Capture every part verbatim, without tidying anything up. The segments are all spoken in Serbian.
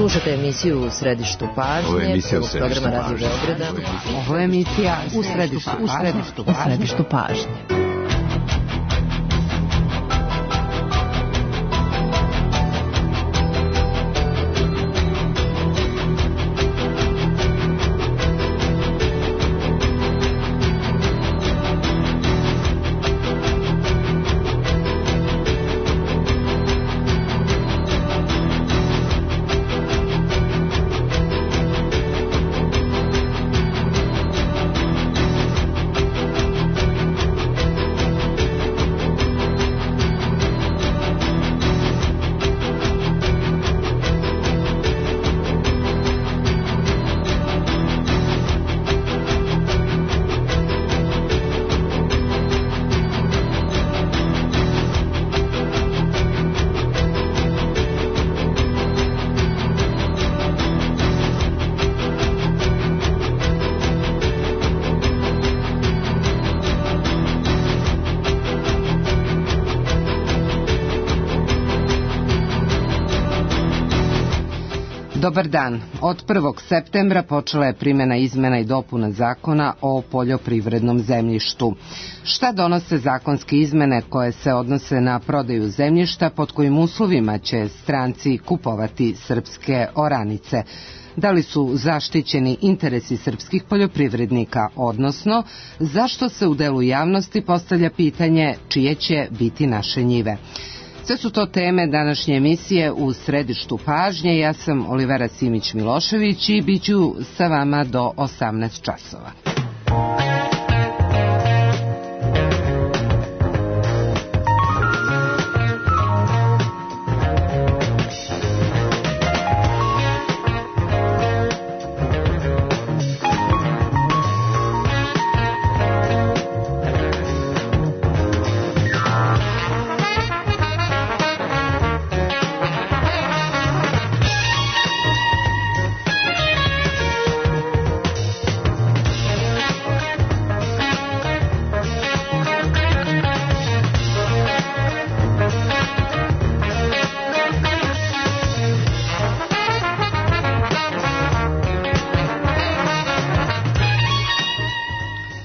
Slušate emisiju U središtu pažnje, prvog programa Radio Beograda. Ovo je emisija U središtu, u središtu, u središtu pažnje. Dobar dan. Od prvog septembra počela je primjena izmena i dopuna zakona o poljoprivrednom zemljištu. Šta donose zakonske izmene koje se odnose na prodaju zemljišta, pod kojim uslovima će stranci kupovati srpske oranice? Da li su zaštićeni interesi srpskih poljoprivrednika, odnosno zašto se u delu javnosti postavlja pitanje čije će biti naše njive? Sve su to teme današnje emisije U središtu pažnje. Ja sam Olivera Simić-Milošević i bit ću sa vama do osamnaest časova.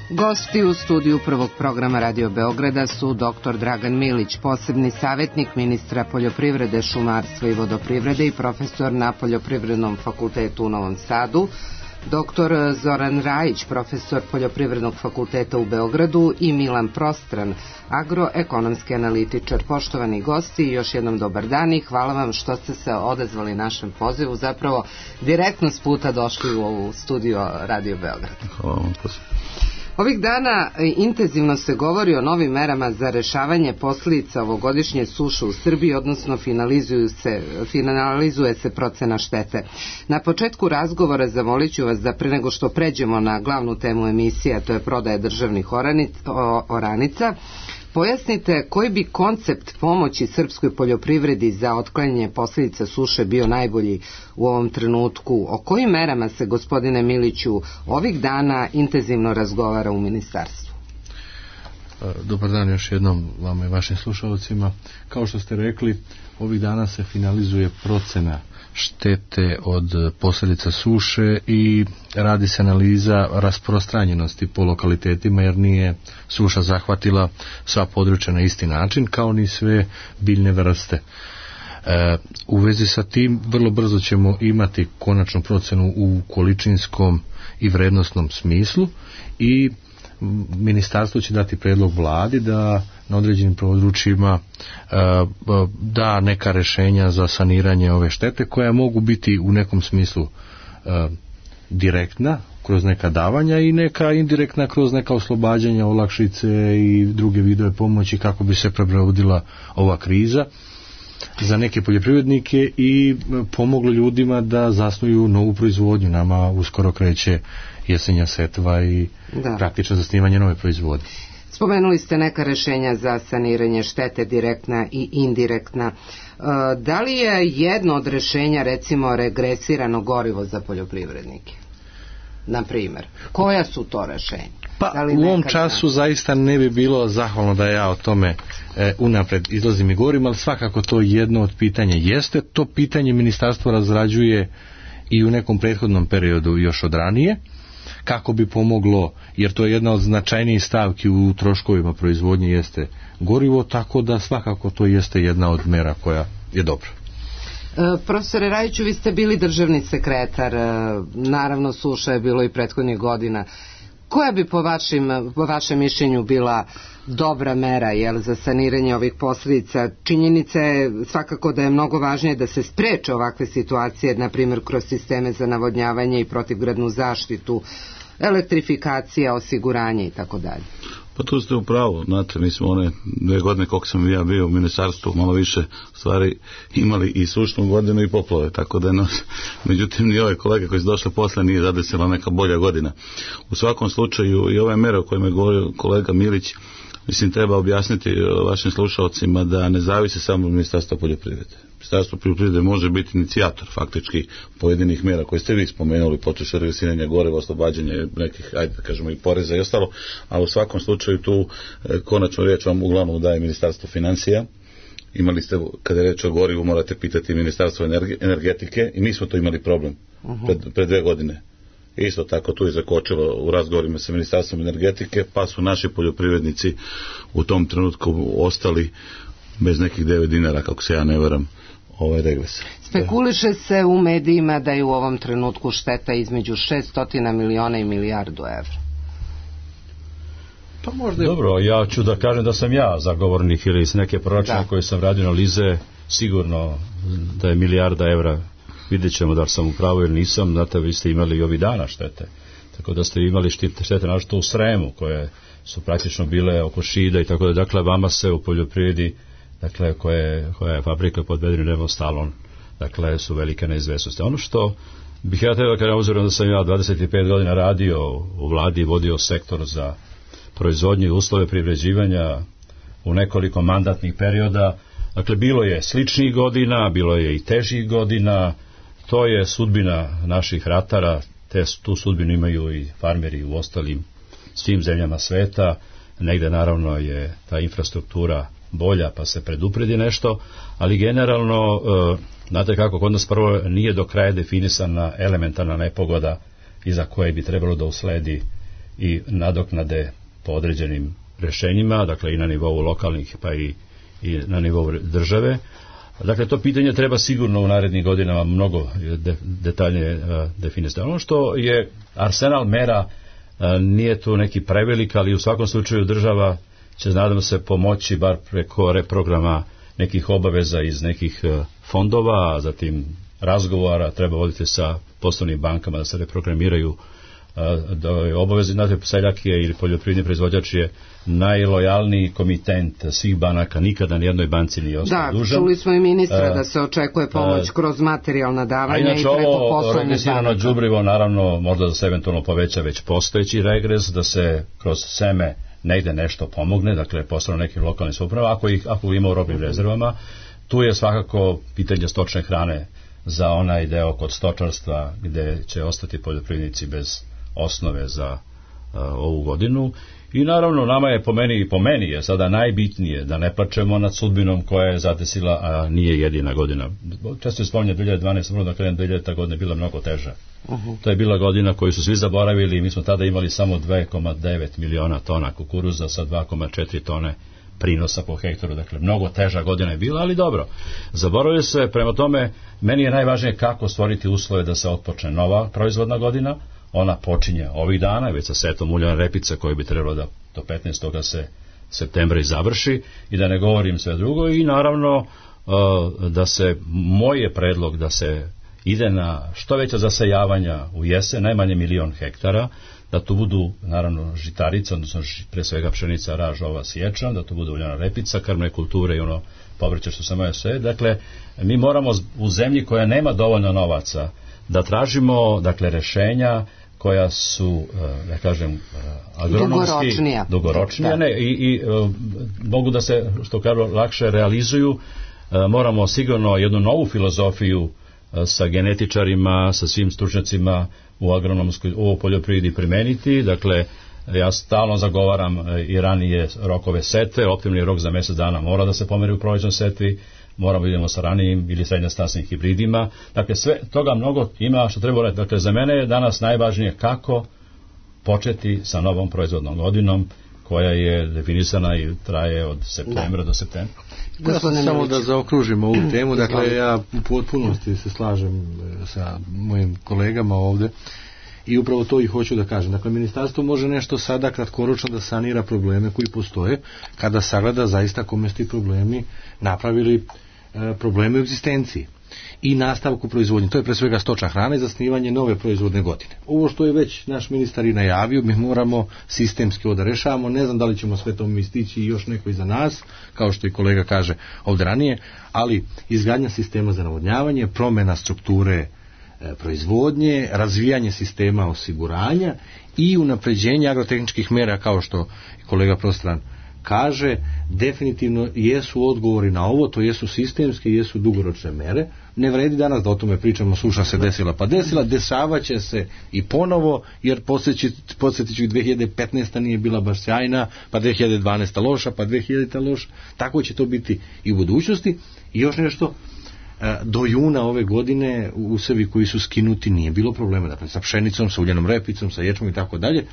Gosti u studiju prvog programa Radio Beograda su doktor Dragan Milić, posebni savjetnik ministra poljoprivrede, šumarstva i vodoprivrede i profesor na Poljoprivrednom fakultetu u Novom Sadu, doktor Zoran Rajić, profesor Poljoprivrednog fakulteta u Beogradu i Milan Prostran, agroekonomski analitičar. Poštovani gosti, još jednom dobar dan i hvala vam što ste se odazvali našem pozivu, zapravo direktno s puta došli u ovu studiju Radio Beograd. Hvala vam posebno. Ovih dana intenzivno se govori o novim merama za rešavanje posljedica ovogodišnje suše u Srbiji, odnosno finalizuju se, finalizuje se procena štete. Na početku razgovora zamolit ću vas da pre nego što pređemo na glavnu temu emisije, a to je prodaja državnih oranica, pojasnite koji bi koncept pomoći srpskoj poljoprivredi za otklanjanje posljedica suše bio najbolji u ovom trenutku. O kojim merama se, gospodine Miliću, ovih dana intenzivno razgovara u ministarstvu? Dobar dan još jednom vama i vašim slušalcima. Kao što ste rekli, ovih dana se finalizuje procena štete od posljedica suše i radi se analiza rasprostranjenosti po lokalitetima, jer nije suša zahvatila sva područja na isti način, kao ni sve biljne vrste. E, u vezi sa tim vrlo brzo ćemo imati konačnu procenu u količinskom i vrednostnom smislu i ministarstvo će dati predlog vladi da na određenim područjima da neka rješenja za saniranje ove štete koja mogu biti u nekom smislu direktna kroz neka davanja i neka indirektna kroz neka oslobađanja, olakšice i druge vidove pomoći kako bi se prebrodila ova kriza za neke poljoprivrednike i pomoglo ljudima da zasnuju novu proizvodnju. Nama uskoro kreće jesenja setva i da. praktično zasnivanje nove proizvodnje. Spomenuli ste neka rešenja za saniranje štete, direktna i indirektna. Da li je jedno od rešenja, recimo, regresirano gorivo za poljoprivrednike? Na primjer, koja su to rešenja? Pa u ovom času zaista ne bi bilo zahvalno da ja o tome e, unapred izlazim i govorim, ali svakako to jedno od pitanja jeste. To pitanje ministarstvo razrađuje i u nekom prethodnom periodu još od ranije, kako bi pomoglo, jer to je jedna od značajnijih stavki u troškovima proizvodnje jeste gorivo, tako da svakako to jeste jedna od mera koja je dobra. E, profesore Rajiću, vi ste bili državni sekretar, e, naravno suša je bilo i prethodnih godina. Koja bi po, vašim, po vašem mišljenju bila dobra mera jel, za saniranje ovih posljedica? Činjenica je svakako da je mnogo važnije da se spreče ovakve situacije, na primjer kroz sisteme za navodnjavanje i protivgradnu zaštitu, elektrifikacija, osiguranje i tako dalje. Pa tu ste u pravu, znate, mi smo one dve godine koliko sam ja bio u ministarstvu malo više stvari imali i sušnu godinu i poplove, tako da no, međutim ni ove kolege koji su došli posle nije zadesila neka bolja godina. U svakom slučaju i ove mere o kojima je govorio kolega Milić, mislim treba objasniti vašim slušalcima da ne zavisi samo od Ministarstva poljoprivrede. Ministarstvo poljoprivrede može biti inicijator faktički pojedinih mera koje ste vi spomenuli, počeš revisiranja goriva, oslobađanje nekih, ajde da kažemo, i poreza i ostalo, a u svakom slučaju tu e, konačnu riječ vam uglavnom daje Ministarstvo financija. Imali ste, kada je reč o gorivu, morate pitati Ministarstvo energetike i mi smo to imali problem pred, pred dve godine. Isto tako tu je zakočilo u razgovorima sa Ministarstvom energetike, pa su naši poljoprivrednici u tom trenutku ostali bez nekih devet dinara, kako se ja ne varam, ovaj regres. Spekuliše se u medijima da je u ovom trenutku šteta između šesto miliona i milijardu evra. Pa možda je... Dobro, ja ću da kažem da sam ja zagovornik ili iz neke proračune koje sam radio analize, sigurno da je milijarda evra. Vidjet ćemo da li sam u pravu ili nisam. Znate, vi ste imali i ovih dana štete, tako da ste imali štete našto u Sremu koje su praktično bile oko Šida i tako da, dakle vama se u poljoprivredi, dakle koje, koja je fabrika pod vedrim nebom stalon, dakle su velike neizvesnosti. Ono što bih ja trebao kada uzorom da sam ja dvadeset pet godina radio u vladi i vodio sektor za proizvodnju i uslove privređivanja u nekoliko mandatnih perioda, dakle bilo je sličnih godina, bilo je i težih godina. To je sudbina naših ratara, te, tu sudbinu imaju i farmeri u ostalim svim zemljama sveta. Negde naravno je ta infrastruktura bolja pa se predupredi nešto, ali generalno, e, znate kako, kod nas prvo nije do kraja definisana elementarna nepogoda iza koje bi trebalo da usledi i nadoknade po određenim rešenjima, dakle i na nivou lokalnih pa i, i na nivou države. Dakle, to pitanje treba sigurno u narednim godinama mnogo de, detaljnije uh, definisati. Ono što je arsenal mera uh, nije tu neki prevelik, ali u svakom slučaju država će, nadam se, pomoći bar preko reprograma nekih obaveza iz nekih uh, fondova, a zatim razgovora treba voditi sa poslovnim bankama da se reprogramiraju da je obavezi, znate, seljak je ili poljoprivredni proizvođač je najlojalniji komitent svih banaka, nikada nijednoj banci nije ostao dužan. Da, čuli smo i ministra da se očekuje pomoć kroz materijalna davanja i preko poslovne banaka. A inače ovo regresirano đubrivo naravno možda da se eventualno poveća već postojeći regres, da se kroz seme negde nešto pomogne, dakle poslovno nekim lokalnim samoupravama, ako ih ako ima u robnim rezervama. Tu je svakako pitanje stočne hrane za onaj deo kod stočarstva gde će ostati poljoprivrednici bez osnove za uh, ovu godinu. I naravno nama je po meni i po meni je sada najbitnije da ne plačemo nad sudbinom koja je zadesila, a nije jedina godina. Često je spominje dve hiljade dvanaeste. da krenem dve hiljadita. godina je bila mnogo teža. Uh-huh. To je bila godina koju su svi zaboravili i mi smo tada imali samo dva zarez devet miliona tona kukuruza sa dva zarez četiri tone prinosa po hektaru, dakle mnogo teža godina je bila, ali dobro. Zaboravili se, prema tome meni je najvažnije kako stvoriti uslove da se otpočne nova proizvodna godina. Ona počinje ovih dana, već sa setom uljane repice koje bi trebalo da do petnaestog se septembra i završi, i da ne govorim sve drugo. I naravno da se, moj je predlog da se ide na što veća zasejavanja u jesen, najmanje milion hektara, da tu budu naravno žitarica, odnosno pre svega pšenica, raž, ova, sječan, da tu bude uljana repica, krmne kulture i ono povrće što sam ja sve. Dakle, mi moramo u zemlji koja nema dovoljno novaca da tražimo, dakle, rešenja koja su, da kažem, agronomski dugoročnija, dugoročnija ne, i, i mogu da se, što kažu, lakše realizuju. Moramo sigurno jednu novu filozofiju sa genetičarima, sa svim stručnjacima u agronomskoj, u poljoprivredi primeniti, dakle Ja stalno zagovaram i ranije rokove setve, optimni rok za mjesec dana mora da se pomeri u prolećnoj setvi, moramo da idemo sa ranijim ili srednjostasnim hibridima. Dakle, sve toga mnogo ima što treba raditi. Dakle, za mene je danas najvažnije kako početi sa novom proizvodnom godinom koja je definisana i traje od septembra do septembra. Da, samo da zaokružimo ovu temu, dakle ja u potpunosti se slažem sa mojim kolegama ovde i upravo to i hoću da kažem. Dakle, ministarstvo može nešto sada kratkoročno da sanira probleme koji postoje, kada sagleda zaista kome su ti problemi napravili e, probleme u egzistenciji i nastavku proizvodnje. To je pre svega stočna hrana i zasnivanje nove proizvodne godine. Ovo što je već naš ministar i najavio, mi moramo sistemski ovo da rešavamo. Ne znam da li ćemo sve to mi stići i još neko iza nas, kao što i kolega kaže ovdje ranije, ali izgradnja sistema za navodnjavanje, promjena strukture e, proizvodnje, razvijanje sistema osiguranja i unapređenje agrotehničkih mera, kao što kolega Prostran kaže, definitivno jesu odgovori na ovo, to jesu sistemske, jesu dugoročne mere. Ne vredi danas da o tome pričamo, suša se desila pa desila, dešavaće se i ponovo, jer podsjetit ću i dve hiljade petnaesta nije bila baš sjajna, pa dve hiljade dvanaesta loša, pa dve hiljadita loša, tako će to biti i u budućnosti. I još nešto, do juna ove godine usevi koji su skinuti nije bilo problema, dakle sa pšenicom, sa uljenom repicom, sa ječmom i tako dalje.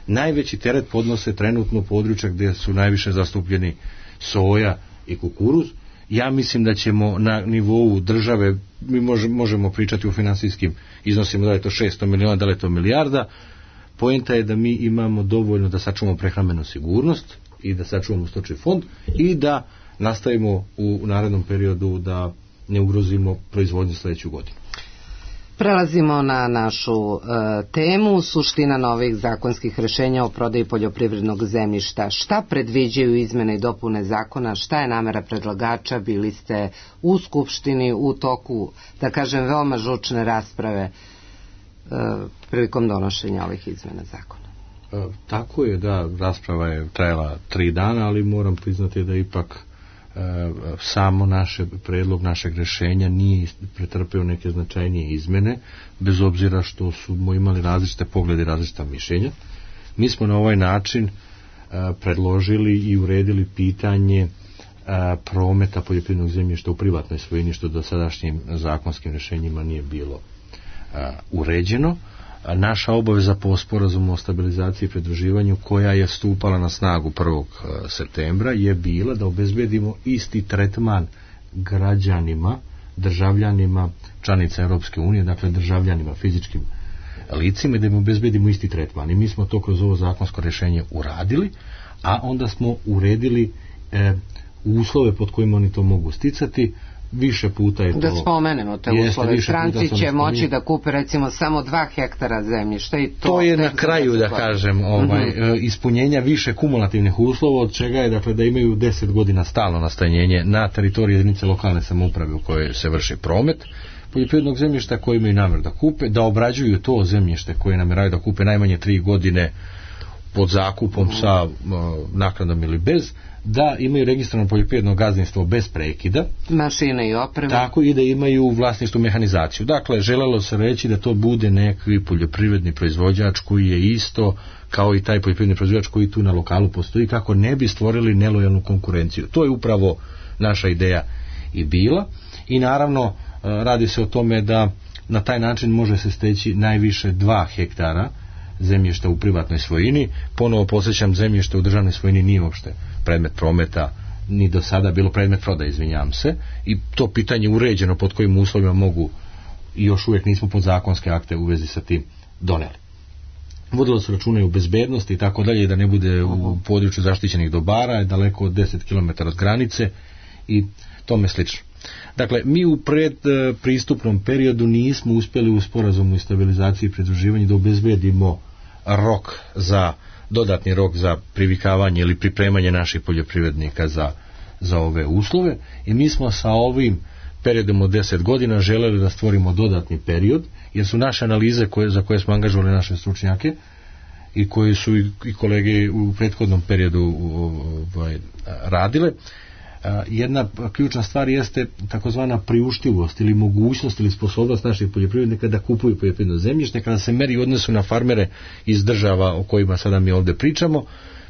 Najveći teret podnose trenutno područja gdje su najviše zastupljeni soja i kukuruz. Ja mislim da ćemo na nivou države, mi možemo pričati o finansijskim iznosima, da je to šesto miliona, da li je to milijarda. Poenta je da mi imamo dovoljno da sačuvamo prehrambenu sigurnost i da sačuvamo stočni fond i da nastavimo u narednom periodu da ne ugrozimo proizvodnju sljedeću godinu. Prelazimo na našu e, temu, suština novih zakonskih rešenja o prodaji poljoprivrednog zemljišta. Šta predviđaju izmene i dopune zakona, šta je namera predlagača, bili ste u Skupštini u toku, da kažem, veoma žučne rasprave e, prilikom donošenja ovih izmena zakona? E, tako je, da, rasprava je trajala tri dana, ali moram priznati da ipak samo naše predlog našeg rešenja nije pretrpeo neke značajnije izmene, bez obzira što smo imali različite poglede i različita mišljenja. Mi smo na ovaj način predložili i uredili pitanje prometa poljoprivrednog zemljišta u privatnoj svojini, što do sadašnjim zakonskim rešenjima nije bilo uređeno. Naša obaveza po sporazumu o stabilizaciji i pridruživanju, koja je stupala na snagu prvog septembra, je bila da obezbedimo isti tretman građanima, državljanima članica Europske unije, dakle državljanima, fizičkim licima, i da im obezbedimo isti tretman. I mi smo to kroz ovo zakonsko rješenje uradili, a onda smo uredili e, uslove pod kojima oni to mogu sticati. Više puta je to... Da spomenemo te uslove. Stranci će moći da kupe recimo samo dva hektara zemljišta i to... To je na kraju, da kažem, ovaj, mm-hmm. ispunjenja više kumulativnih uslova, od čega je, dakle, da imaju deset godina stalno nastanjenje na teritoriji jedinice lokalne samouprave u kojoj se vrši promet poljoprivrednog zemljišta, koji imaju namjer da kupe, da obrađuju to zemljište koje nameraju da kupe najmanje tri godine pod zakupom mm-hmm. sa uh, naknadom ili bez, da imaju registrovano poljoprivredno gazdinstvo bez prekida, mašine i opreme, tako i da imaju u vlasništvu mehanizaciju. Dakle, želelo se reći da to bude neki poljoprivredni proizvođač koji je isto kao i taj poljoprivredni proizvođač koji tu na lokalu postoji, kako ne bi stvorili nelojalnu konkurenciju. To je upravo naša ideja i bila, i naravno radi se o tome da na taj način može se steći najviše dva hektara zemljišta u privatnoj svojini. Ponovo podsjećam, zemljište u državnoj svojini nije uopšte predmet prometa, ni do sada bilo predmet prodaje, izvinjavam se, i to pitanje uređeno pod kojim uslovima mogu, i još uvijek nismo pod zakonske akte u vezi sa tim doneli. Vodilo se računa i u bezbednosti i tako dalje, da ne bude u području zaštićenih dobara, daleko od deset kilometara od granice i tome slično. Dakle, mi u predpristupnom periodu nismo uspjeli u sporazumu i stabilizaciji i pridruživanju da obezbedimo rok za, dodatni rok za privikavanje ili pripremanje naših poljoprivrednika za, za ove uslove, i mi smo sa ovim periodom od deset godina želeli da stvorimo dodatni period, jer su naše analize koje, za koje smo angažovali naše stručnjake i koje su i, i kolege u prethodnom periodu ovaj, radile, Jedna ključna stvar jeste takozvana priuštivost ili mogućnost ili sposobnost naših poljoprivrednika da kupuju poljoprivredno zemljište. Kada se meri u odnosu na farmere iz država o kojima sada mi ovdje pričamo,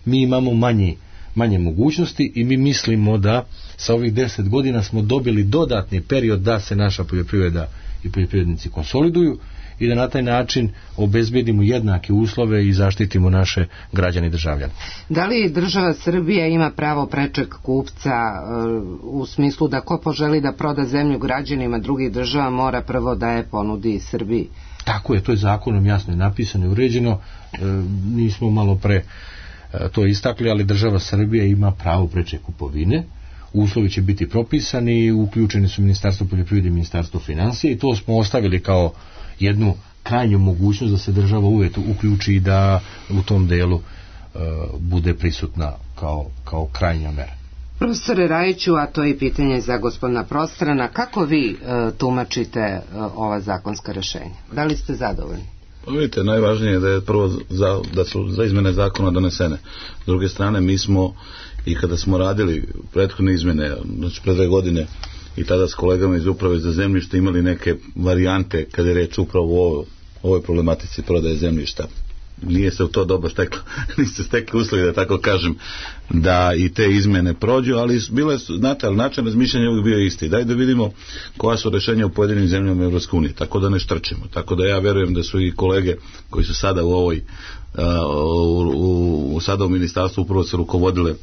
mi imamo manji, manje mogućnosti i mi mislimo da sa ovih deset godina smo dobili dodatni period da se naša poljoprivreda i poljoprivrednici konsoliduju i da na taj način obezbedimo jednake uslove i zaštitimo naše građane i državljane. Da li država Srbija ima pravo prečeg kupca u smislu da ko poželi da proda zemlju građanima drugih država mora prvo da je ponudi Srbiji? Tako je, to je zakonom jasno napisano i uređeno. E, nismo malo pre e, to istakli, ali država Srbija ima pravo preče kupovine. Uslovi će biti propisani, uključeni su Ministarstvo poljoprivrede i Ministarstvo financija i to smo ostavili kao jednu krajnju mogućnost da se država uvijek uključi i da u tom delu e, bude prisutna kao, kao krajnja mera. Profesore Rajiću, a to je pitanje za gospodina Prostrana, kako vi e, tumačite e, ova zakonska rešenja? Da li ste zadovoljni? Pa vidite, najvažnije je da je prvo za, da su za izmene zakona donesene. S druge strane, mi smo i kada smo radili prethodne izmene, znači pre dve godine, i tada s kolegama iz uprave za zemljište imali neke varijante kada je reč upravo o ovoj problematici prodaje zemljišta. Nije se u to dobro steklo, niste stekli uslovi, da tako kažem, da i te izmene prođu, ali bile su, znate, ali način razmišljanja uvijek bio isti. Daj da vidimo koja su rešenja u pojedinim zemljama Evropske unije, tako da ne štrčemo. Tako da ja verujem da su i kolege koji su sada u ovoj, u, u, u, sada u ministarstvu upravo se rukovodile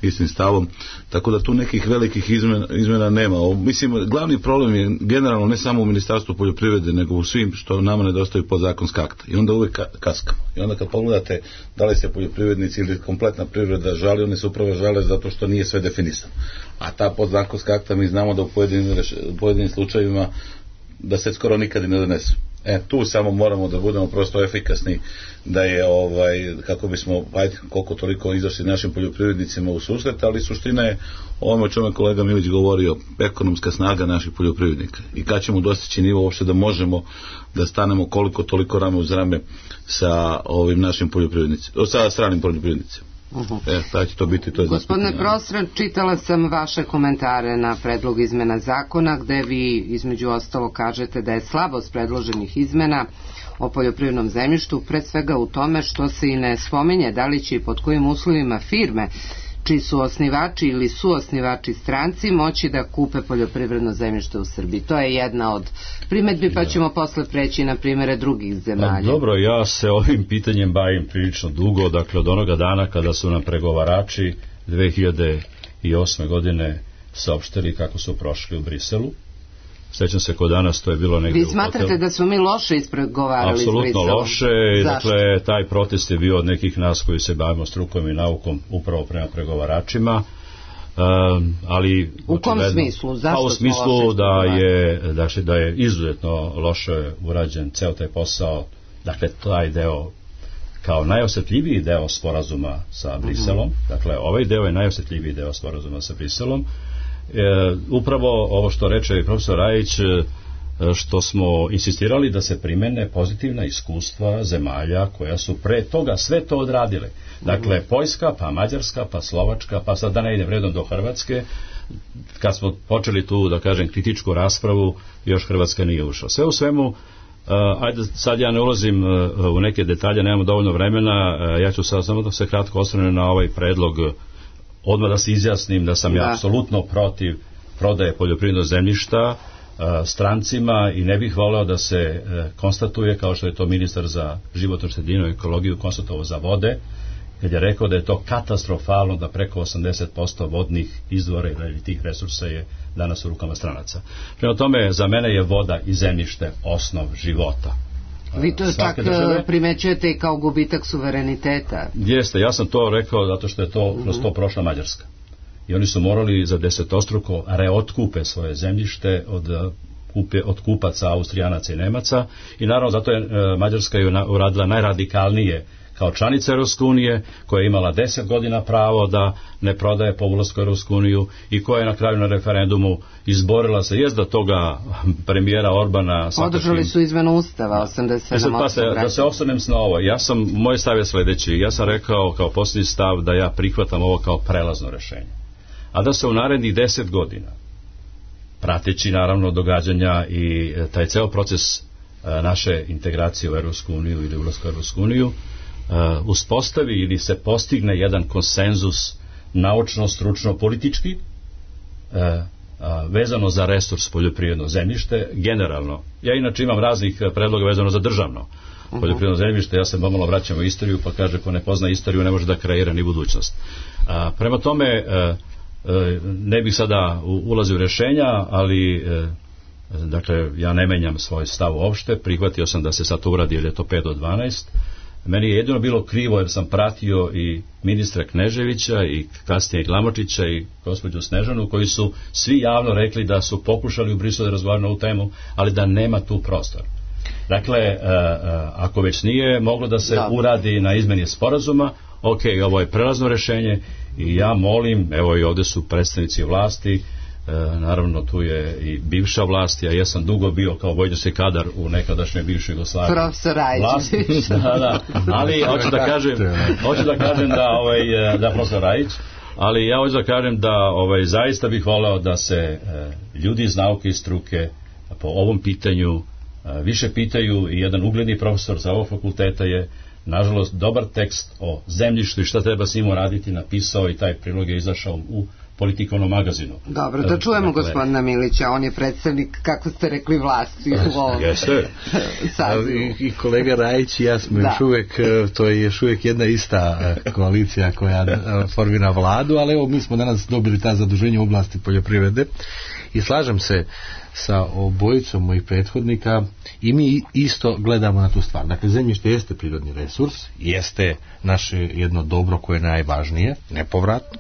istim stavom, tako da tu nekih velikih izmena, izmena nema. O, mislim, glavni problem je generalno ne samo u Ministarstvu poljoprivrede, nego u svim što nama nedostaju podzakonska akta. I onda uvijek kaskamo. I onda kad pogledate da li se poljoprivrednici ili kompletna privreda žali, one se upravo žale zato što nije sve definisano. A ta podzakonska akta mi znamo da u pojedinim, u pojedinim slučajevima da se skoro nikad ne donesu. E, tu samo moramo da budemo prosto efikasni, da je ovaj, kako bismo ajde, koliko toliko izašli našim poljoprivrednicima u susret, ali suština je ovome o čemu kolega Milić govorio, ekonomska snaga naših poljoprivrednika i kad ćemo dostići nivo uopšte da možemo da stanemo koliko toliko rame uz rame sa ovim našim poljoprivrednicima, sa stranim poljoprivrednicima. Uh-huh. E, taj će to biti, to je Gospodine Prostran, čitala sam vaše komentare na predlog izmena zakona gde vi između ostalo kažete da je slabost predloženih izmena o poljoprivrednom zemljištu pre svega u tome što se i ne spominje da li će i pod kojim uslovima firme čiji su osnivači ili suosnivači stranci moći da kupe poljoprivredno zemljište u Srbiji. To je jedna od primedbi, pa ćemo posle preći na primere drugih zemalja. Pa, dobro, ja se ovim pitanjem bavim prilično dugo, dakle od onoga dana kada su nam pregovarači dve hiljade osme godine saopštili kako su prošli u Briselu. Sećam se kod danas, to je bilo negdje u hotelu. Vi smatrate da smo mi loše ispregovarali s Briselom? Apsolutno loše. Zašto? Dakle, taj protest je bio od nekih nas koji se bavimo strukom i naukom upravo prema pregovaračima. Um, ali u kom smislu? Zašto pa u smislu da je, dakle, da je izuzetno loše urađen ceo taj posao, dakle taj deo kao najosjetljiviji deo sporazuma sa Briselom. Mm-hmm. Dakle, ovaj deo je najosjetljiviji deo sporazuma sa Briselom. E, upravo ovo što reče profesor Rajić, e, što smo insistirali da se primene pozitivna iskustva zemalja koja su pre toga sve to odradile. Dakle, Poljska, pa Mađarska, pa Slovačka, pa sad da ne idem redom do Hrvatske. Kad smo počeli tu, da kažem, kritičku raspravu, još Hrvatska nije ušla. Sve u svemu, Uh, ajde, sad ja ne ulazim uh, u neke detalje, nemamo dovoljno vremena, uh, ja ću sad samo da se kratko osvrnem na ovaj predlog, odmah da se izjasnim da sam da. ja apsolutno protiv prodaje poljoprivrednog zemljišta uh, strancima i ne bih voleo da se uh, konstatuje, kao što je to ministar za životnu sredinu i ekologiju konstatovao za vode, kad je rekao da je to katastrofalno da preko osamdeset posto vodnih izvora ili tih resursa je danas u rukama stranaca. Prema tome, za mene je voda i zemljište osnov života. Vi to čak države primećujete i kao gubitak suvereniteta. Jeste, ja sam to rekao zato što je to kroz uh-huh. to prošla Mađarska. I oni su morali za desetostruko reotkupe svoje zemljište od, kupe, od kupaca, Austrijanaca i Nemaca. I naravno zato je uh, Mađarska je uradila najradikalnije kao članica Europske unije, koja je imala deset godina pravo da ne prodaje po ulasku u Europsku uniju i koja je na kraju na referendumu izborila se, jest da toga premijera Orbana... Održali su izmenu ustava, osamdeset sedam pa se, da se osvrnem na ovo, ja sam, moj stav je sledeći, ja sam rekao kao posljednji stav da ja prihvatam ovo kao prelazno rešenje. a da se u narednih deset godina, prateći naravno događanja i taj ceo proces naše integracije u Evropsku uniju ili ulaska u Evropsku uniju, uspostavi ili se postigne jedan konsenzus naučno, stručno, politički vezano za resurs poljoprivredno zemljište generalno. Ja inače imam raznih predloga vezano za državno poljoprivredno zemljište, ja se pomalo vraćam u istoriju, pa kaže ko ne pozna istoriju ne može da kreira ni budućnost. Prema tome ne bih sada ulazio u rješenja, ali dakle ja ne menjam svoj stav uopšte, prihvatio sam da se sad uradi jer je to pet do dvanaest. Meni je jedino bilo krivo jer sam pratio i ministra Kneževića i kasnije Glamočića i gospođu Snežanu koji su svi javno rekli da su pokušali u Briselu da razgovaraju na ovu temu, ali da nema tu prostor. Dakle, uh, uh, ako već nije moglo da se da. uradi na izmeni sporazuma, ok, ovo je prelazno rješenje i ja molim, evo i ovdje su predstavnici vlasti, uh, naravno tu je i bivša vlast, ja jesam dugo bio kao vojnički kadar u nekadašnjoj bivšoj Jugoslaviji. Profesor Rajić. Da, da, ali hoću da kažem, hoću da kažem da, ovaj, da profesor Rajić, ali ja hoću da kažem da ovaj, zaista bih voleo da se uh, ljudi iz nauke i struke po ovom pitanju više pitaju i jedan ugledni profesor za ovog fakulteta je nažalost dobar tekst o zemljištu i šta treba s njim raditi napisao i taj prilog je izašao u Politikovnom magazinu. Dobro, da čujemo dakle, gospodina Milića, on je predstavnik, kako ste rekli, vlasti u ovom sazivu. I kolega Rajić i ja smo da. još uvijek, to je još uvijek jedna ista koalicija koja formira vladu, ali evo mi smo danas dobili ta zaduženja u oblasti poljoprivrede i slažem se sa obojicom mojih prethodnika i mi isto gledamo na tu stvar. Dakle, zemljište jeste prirodni resurs, jeste naše jedno dobro koje je najvažnije, nepovratno.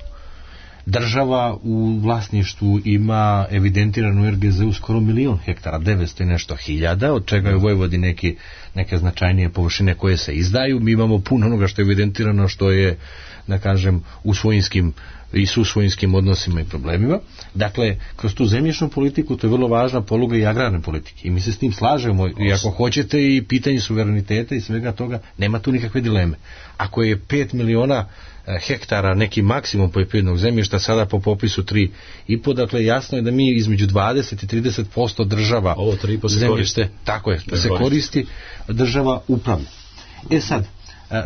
Država u vlasništvu ima evidentiranu R G Z u skoro milion hektara, devetsto i nešto hiljada, od čega je u Vojvodini neki, neke značajnije površine koje se izdaju. Mi imamo puno onoga što je evidentirano, što je, da kažem, u svojinskim i su svojinskim odnosima i problemima. Dakle, kroz tu zemljišnu politiku to je vrlo važna poluga i agrarne politike. I mi se s tim slažemo i ako hoćete i pitanje suvereniteta i svega toga, nema tu nikakve dileme. Ako je pet miliona hektara neki maksimum poljoprivrednog zemljišta, sada po popisu tri i po, dakle jasno je da mi između dvadeset i trideset posto država ovo tri i po se zemljište, koristi. tako je, da se koristi, država upravlja. E sad,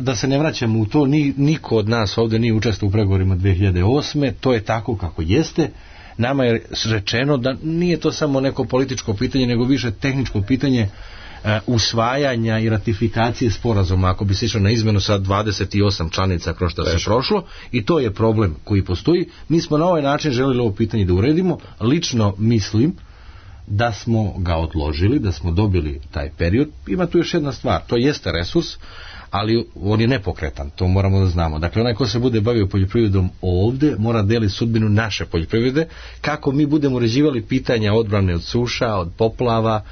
da se ne vraćamo u to, ni, niko od nas ovdje nije učestvovao u pregovorima dve hiljade osme, to je tako kako jeste. Nama je rečeno da nije to samo neko političko pitanje, nego više tehničko pitanje uh, usvajanja i ratifikacije sporazuma, ako bi se išlo na izmenu sa dvadeset osam članica kroz što se prošlo, i to je problem koji postoji. Mi smo na ovaj način želeli ovo pitanje da uredimo. Lično mislim da smo ga odložili, da smo dobili taj period. Ima tu još jedna stvar, to jeste resurs, ali on je nepokretan, to moramo da znamo. Dakle, onaj ko se bude bavio poljoprivredom ovdje, mora deliti sudbinu naše poljoprivrede, kako mi budemo uređivali pitanja odbrane od suša, od poplava,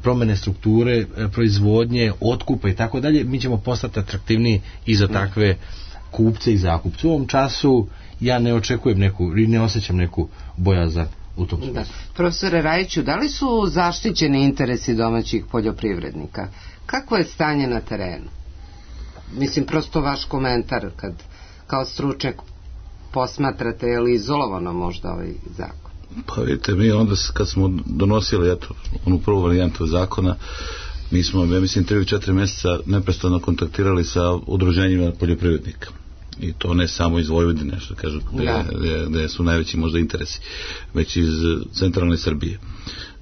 promene strukture, proizvodnje, otkupa i tako dalje, mi ćemo postati atraktivniji i za takve kupce i zakupce. U ovom času ja ne očekujem neku, i ne osjećam neku bojazan u tom smislu. Profesore Rajiću, da li su zaštićeni interesi domaćih poljoprivrednika? Kako je stanje na terenu? Mislim, prosto vaš komentar kad kao stručnjak posmatrate, je li izolovano možda ovaj zakon? Pa vidite, mi onda kad smo donosili eto, onu prvu varijantu zakona, mi smo, ja mislim, tri ili četiri mjeseca neprestano kontaktirali sa udruženjima poljoprivrednika. I to ne samo iz Vojvodine, što kažu, gdje, gdje, gdje su najveći možda interesi, već iz centralne Srbije.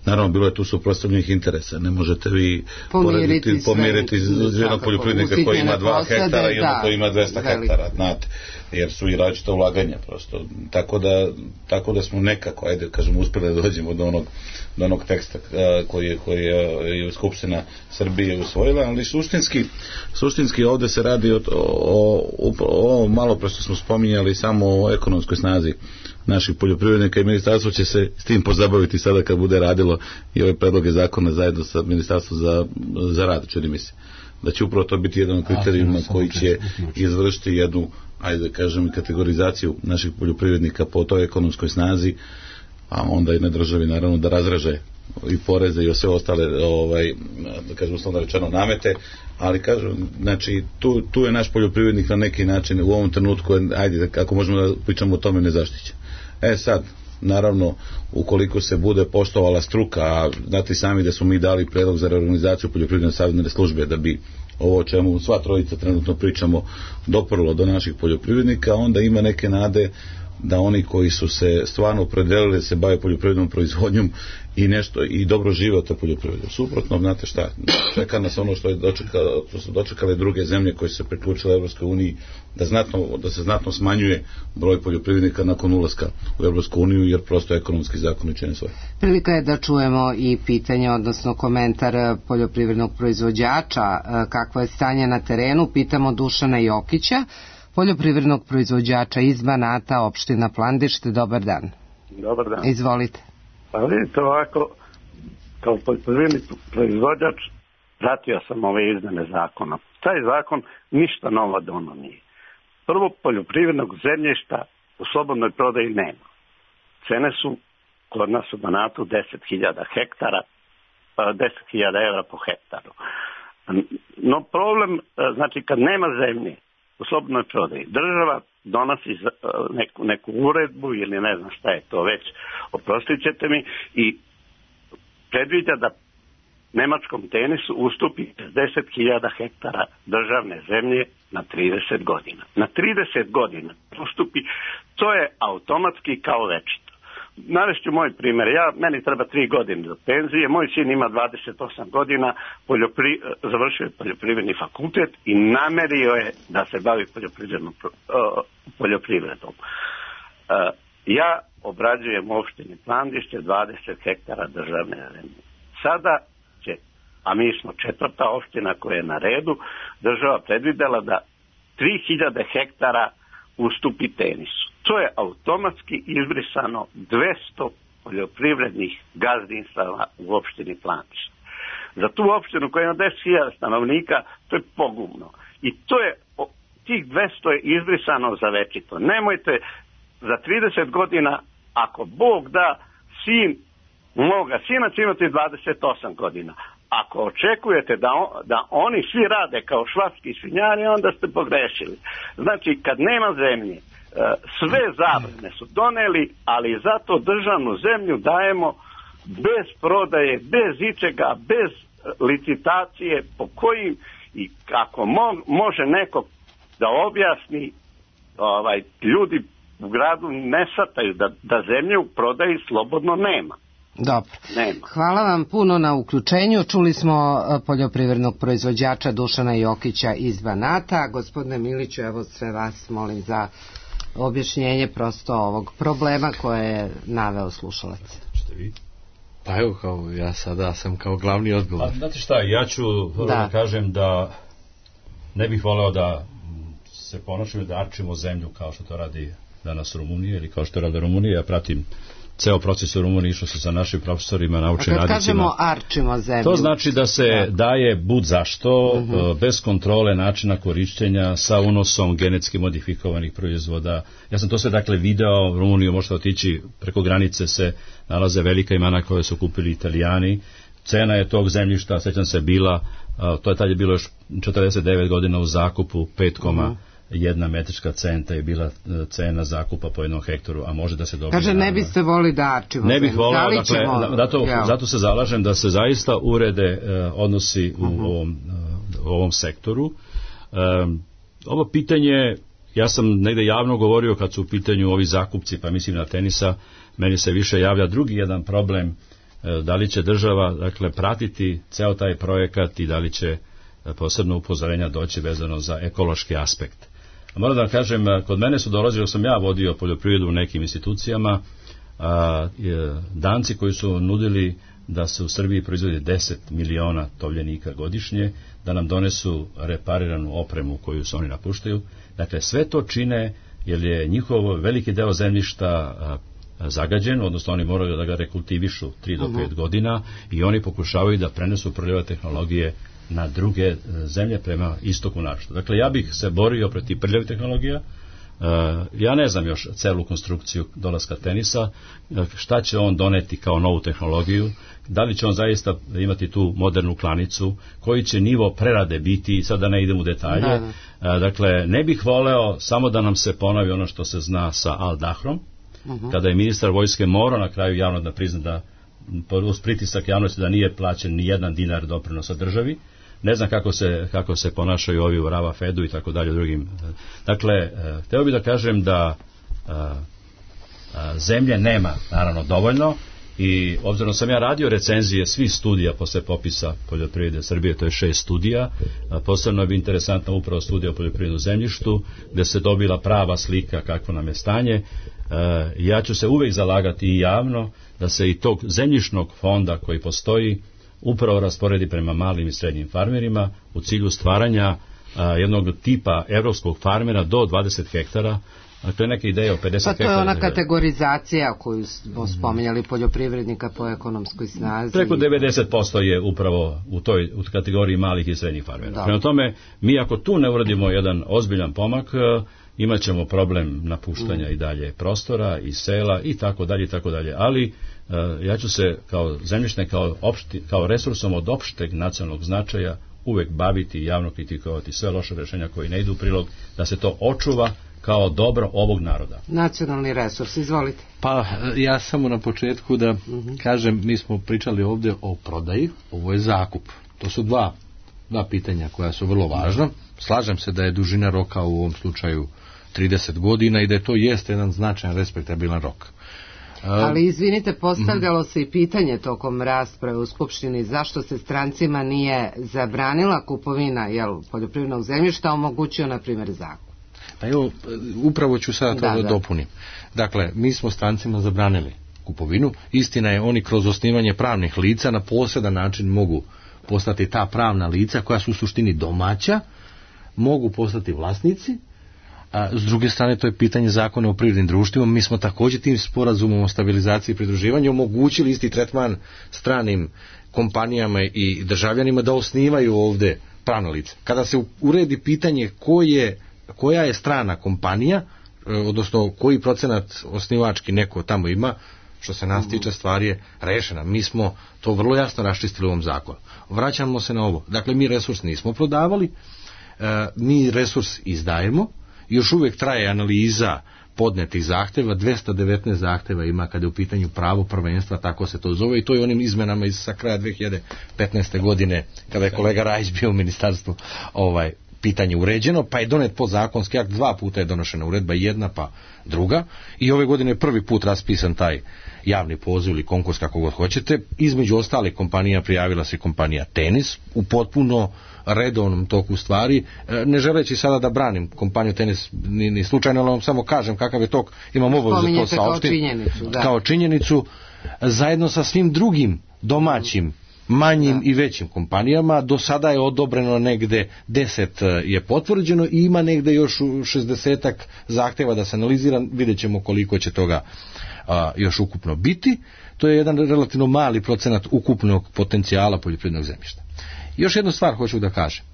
Naravno, bilo je tu suprotstavljenih interesa. Ne možete vi pomiriti, pomiriti iz jednog poljoprivrednika koji ima dva hektara i jednog koji ima dvesta hektara, znate, jer su i različita ulaganja prosto. Tako da, tako da smo nekako, ajde, kažemo, uspjeli da dođemo do onog, do onog teksta koji je, koji je Skupština Srbije usvojila, ali suštinski, suštinski ovdje se radi o, o, o, o malo prosto smo spominjali samo o ekonomskoj snazi naših poljoprivrednika i ministarstvo će se s tim pozabaviti sada kad bude radilo i ove predloge zakona zajedno sa ministarstvom za, za rad, čini mi se da će upravo to biti jedan od kriterijuma koji će izvršiti jednu, ajde da kažem, kategorizaciju naših poljoprivrednika po toj ekonomskoj snazi, a onda i na državi naravno da razraže i poreze i sve ostale, ovaj, da kažem uslovno rečeno, namete, ali kažem, znači tu, tu je naš poljoprivrednik na neki način u ovom trenutku, ajde, ako možemo da pričamo o tome, nezaštićen. E sad, naravno, ukoliko se bude poštovala struka, a znate sami da smo mi dali predlog za reorganizaciju poljoprivredne savjetodavne službe da bi ovo o čemu sva trojica trenutno pričamo doprlo do naših poljoprivrednika, onda ima neke nade da oni koji su se stvarno opredelili da se bave poljoprivrednom proizvodnjom i nešto i dobro žive od te poljoprivrede. Suprotno, znate šta, čeka nas ono što je dočekalo, što su dočekale druge zemlje koje su se priključile Evropskoj uniji, da znatno, da se znatno smanjuje broj poljoprivrednika nakon ulaska u Evropsku uniju, jer prosto ekonomski zakoni čine svoje. Prilika je da čujemo i pitanje, odnosno komentar poljoprivrednog proizvođača, kakvo je stanje na terenu. Pitamo Dušana Jokića, poljoprivrednog proizvođača iz Banata, opština Plandište. Dobar dan. Dobar dan. Izvolite. Pa vidite ovako, kao poljoprivredni proizvođač pratio sam ove izmene zakona. Taj zakon ništa novo dono nije. Prvo, poljoprivrednog zemljišta u slobodnoj prodaji nema. Cene su kod nas u Banatu deset hiljada hektara, deset hiljada evra po hektaru. No problem, znači kad nema zemlje u slobodnoj prodaji, država donosi neku, neku uredbu ili ne znam šta je to već, oprostit ćete mi, i predviđa da nemačkom Tenisu ustupi deset hiljada hektara državne zemlje na trideset godina. Na trideset godina ustupi, to je automatski kao večito. Navešću moj primjer, ja, meni treba tri godine do penzije, moj sin ima dvadeset osam godina, poljopri, završio je poljoprivredni fakultet i namerio je da se bavi poljoprivrednom, poljoprivredom. Ja obrađujem u opštini Plandište dvadeset hektara državne zemlje. Sada će, a mi smo četvrta opština koja je na redu, država predvidela da tri hiljade hektara ustupi Tenisu. To je automatski izbrisano dvesta poljoprivrednih gazdinstava u opštini Plandište. Za tu opštinu koja ima deset hiljada stanovnika, to je pogubno. I to je, tih dvesta je izbrisano za večito. Nemojte za trideset godina, ako Bog da, sin moga sina će imati dvadeset osam godina. Ako očekujete da, on, da oni svi rade kao švapski svinjari, onda ste pogrešili. Znači, kad nema zemlje, sve zabrane su doneli, ali zato državnu zemlju dajemo bez prodaje, bez ičega, bez licitacije, po kojim i kako mo, može neko da objasni, ovaj, ljudi u gradu ne sataju da, da zemlje u prodaji slobodno nema. Dobro. Nema. Hvala vam puno na uključenju. Čuli smo poljoprivrednog proizvođača Dušana Jokića iz Banata. Gospodine Miliću, evo sve vas molim za objašnjenje prosto ovog problema koje je naveo slušalac. Što vi? Pa evo, kao ja sada sam kao glavni odgovor. Pa, znate šta, ja ću da. da kažem da ne bih voleo da se ponašamo da arčimo zemlju kao što to radi danas Rumunija ili kao što radi Rumunija. Ja pratim ceo proces u Rumuniji, išao se sa našim profesorima, naučnim radnicima. A kad kažemo arčimo zemlju? To znači da se da. daje bud zašto, uh-huh. bez kontrole načina korišćenja, sa unosom genetski modifikovanih proizvoda. Ja sam to sve dakle video, u Rumuniju možete otići, preko granice se nalaze velika imena koje su kupili Italijani. Cena je tog zemljišta, sećam se, bila, to je tad je bilo još četrdeset devet godina u zakupu, pet uh-huh. jedna metrička centa je bila cena zakupa po jednom hektaru, a može da se dobije. Kaže, ne biste voli da arčimo. Ne bih volao, dakle, da, zato, zato se zalažem da se zaista urede uh, odnosi u, uh-huh. ovom, uh, u ovom sektoru. Um, ovo pitanje, ja sam negde javno govorio kad su u pitanju ovi zakupci, pa mislim na Tenisa, meni se više javlja drugi jedan problem, uh, da li će država, dakle, pratiti ceo taj projekat i da li će uh, posebno upozorenja doći vezano za ekološki aspekt. Moram da vam kažem, kod mene su dolazili, sam ja vodio poljoprivredu u nekim institucijama, a, je, Danci koji su nudili da se u Srbiji proizvodi deset miliona tovljenika godišnje, da nam donesu repariranu opremu koju se oni napuštaju. Dakle, sve to čine jer je njihov veliki deo zemljišta a, zagađen, odnosno oni moraju da ga rekultivišu tri do pet godina i oni pokušavaju da prenesu prljave tehnologije na druge zemlje prema istoku naročito. Dakle, ja bih se borio protiv prljavih tehnologija. Ja ne znam još celu konstrukciju dolaska Tenisa, šta će on doneti kao novu tehnologiju, da li će on zaista imati tu modernu klanicu, koji će nivo prerade biti, sad da ne idem u detalje. Da. Dakle, ne bih voleo samo da nam se ponovi ono što se zna sa Al Dahrom, uh-huh. kada je ministar vojske morao na kraju javno da prizna da uz pritisak javnosti da nije plaćen ni jedan dinar doprinosa državi. Ne znam kako se, kako se ponašaju ovi u Rava Fedu i tako dalje u drugim. Dakle, hteo bih da kažem da a, a, zemlje nema naravno dovoljno i obzirom sam ja radio recenzije svih studija posle popisa poljoprivrede Srbije, to je šest studija, a, posebno je bi interesantna upravo studija o poljoprivrednom zemljištu gde se dobila prava slika kakvo nam je stanje. A, ja ću se uvek zalagati i javno da se i tog zemljišnog fonda koji postoji upravo rasporedi prema malim i srednjim farmerima u cilju stvaranja a, jednog tipa evropskog farmera do dvadeset hektara. A to je neka ideja o pedeset hektara. Pa to je ona kategorizacija koju smo spomenjali poljoprivrednika po ekonomskoj snazi. Preko devedeset posto je upravo u toj u kategoriji malih i srednjih farmera. Da. Prema tome, mi ako tu ne uradimo jedan ozbiljan pomak, imat ćemo problem napuštanja mm. i dalje prostora i sela i tako dalje i tako dalje. Ali ja ću se kao zemljišne, kao, opšti, kao resursom od opšteg nacionalnog značaja uvek baviti i javno kritikovati sve loše rešenja koji ne idu u prilog, da se to očuva kao dobro ovog naroda. Nacionalni resurs, izvolite. Pa ja samo na početku da uh-huh. kažem, mi smo pričali ovdje o prodaji, ovo je zakup. To su dva, dva pitanja koja su vrlo važna. Slažem se da je dužina roka u ovom slučaju trideset godina i da je to jeste jedan značajan respektabilan rok. Ali izvinite, postavljalo se i pitanje tokom rasprave u Skupštini zašto se strancima nije zabranila kupovina jel, poljoprivrednog zemljišta, omogućio na primjer zakup. Pa evo, upravo ću sada to da, da dopunim. Dakle, mi smo strancima zabranili kupovinu. Istina je, oni kroz osnivanje pravnih lica na posedan način mogu postati ta pravna lica koja su u suštini domaća, mogu postati vlasnici. A s druge strane, to je pitanje zakona o privrednim društvima. Mi smo također tim sporazumom o stabilizaciji i pridruživanju omogućili isti tretman stranim kompanijama i državljanima da osnivaju ovdje pravna lica. Kada se uredi pitanje ko je, koja je strana kompanija, odnosno koji procenat osnivački neko tamo ima, što se nas tiče, stvar je rešena. Mi smo to vrlo jasno raščistili u ovom zakonu. Vraćamo se na ovo. Dakle, mi resurs nismo prodavali, mi resurs izdajemo. Još uvijek traje analiza podnetih zahtjeva, dvesta devetnaest zahtjeva ima kada je u pitanju pravo prvenstva, tako se to zove, i to je onim izmenama iz sa kraja dve hiljade petnaeste. godine, kada je kolega Rajić bio u ministarstvu, ovaj, pitanje uređeno, pa je donet podzakonski akt, dva puta je donošena uredba, jedna pa druga, i ove godine je prvi put raspisan taj javni poziv ili konkurs, kako god hoćete. Između ostalih kompanija prijavila se kompanija Tenis u potpuno redovnom toku stvari, ne želeći sada da branim kompaniju Tenis ni, ni slučajno, ali vam samo kažem kakav je tok, imam obavezu da to saopštim kao činjenicu, da. kao činjenicu, zajedno sa svim drugim domaćim manjim da. i većim kompanijama. Do sada je odobreno negde deset je potvrđeno i ima negde još šezdesetak zahtjeva da se analizira, vidjet ćemo koliko će toga a, još ukupno biti. To je jedan relativno mali procenat ukupnog potencijala poljoprivrednog zemljišta. Još jednu stvar hoću da kažem.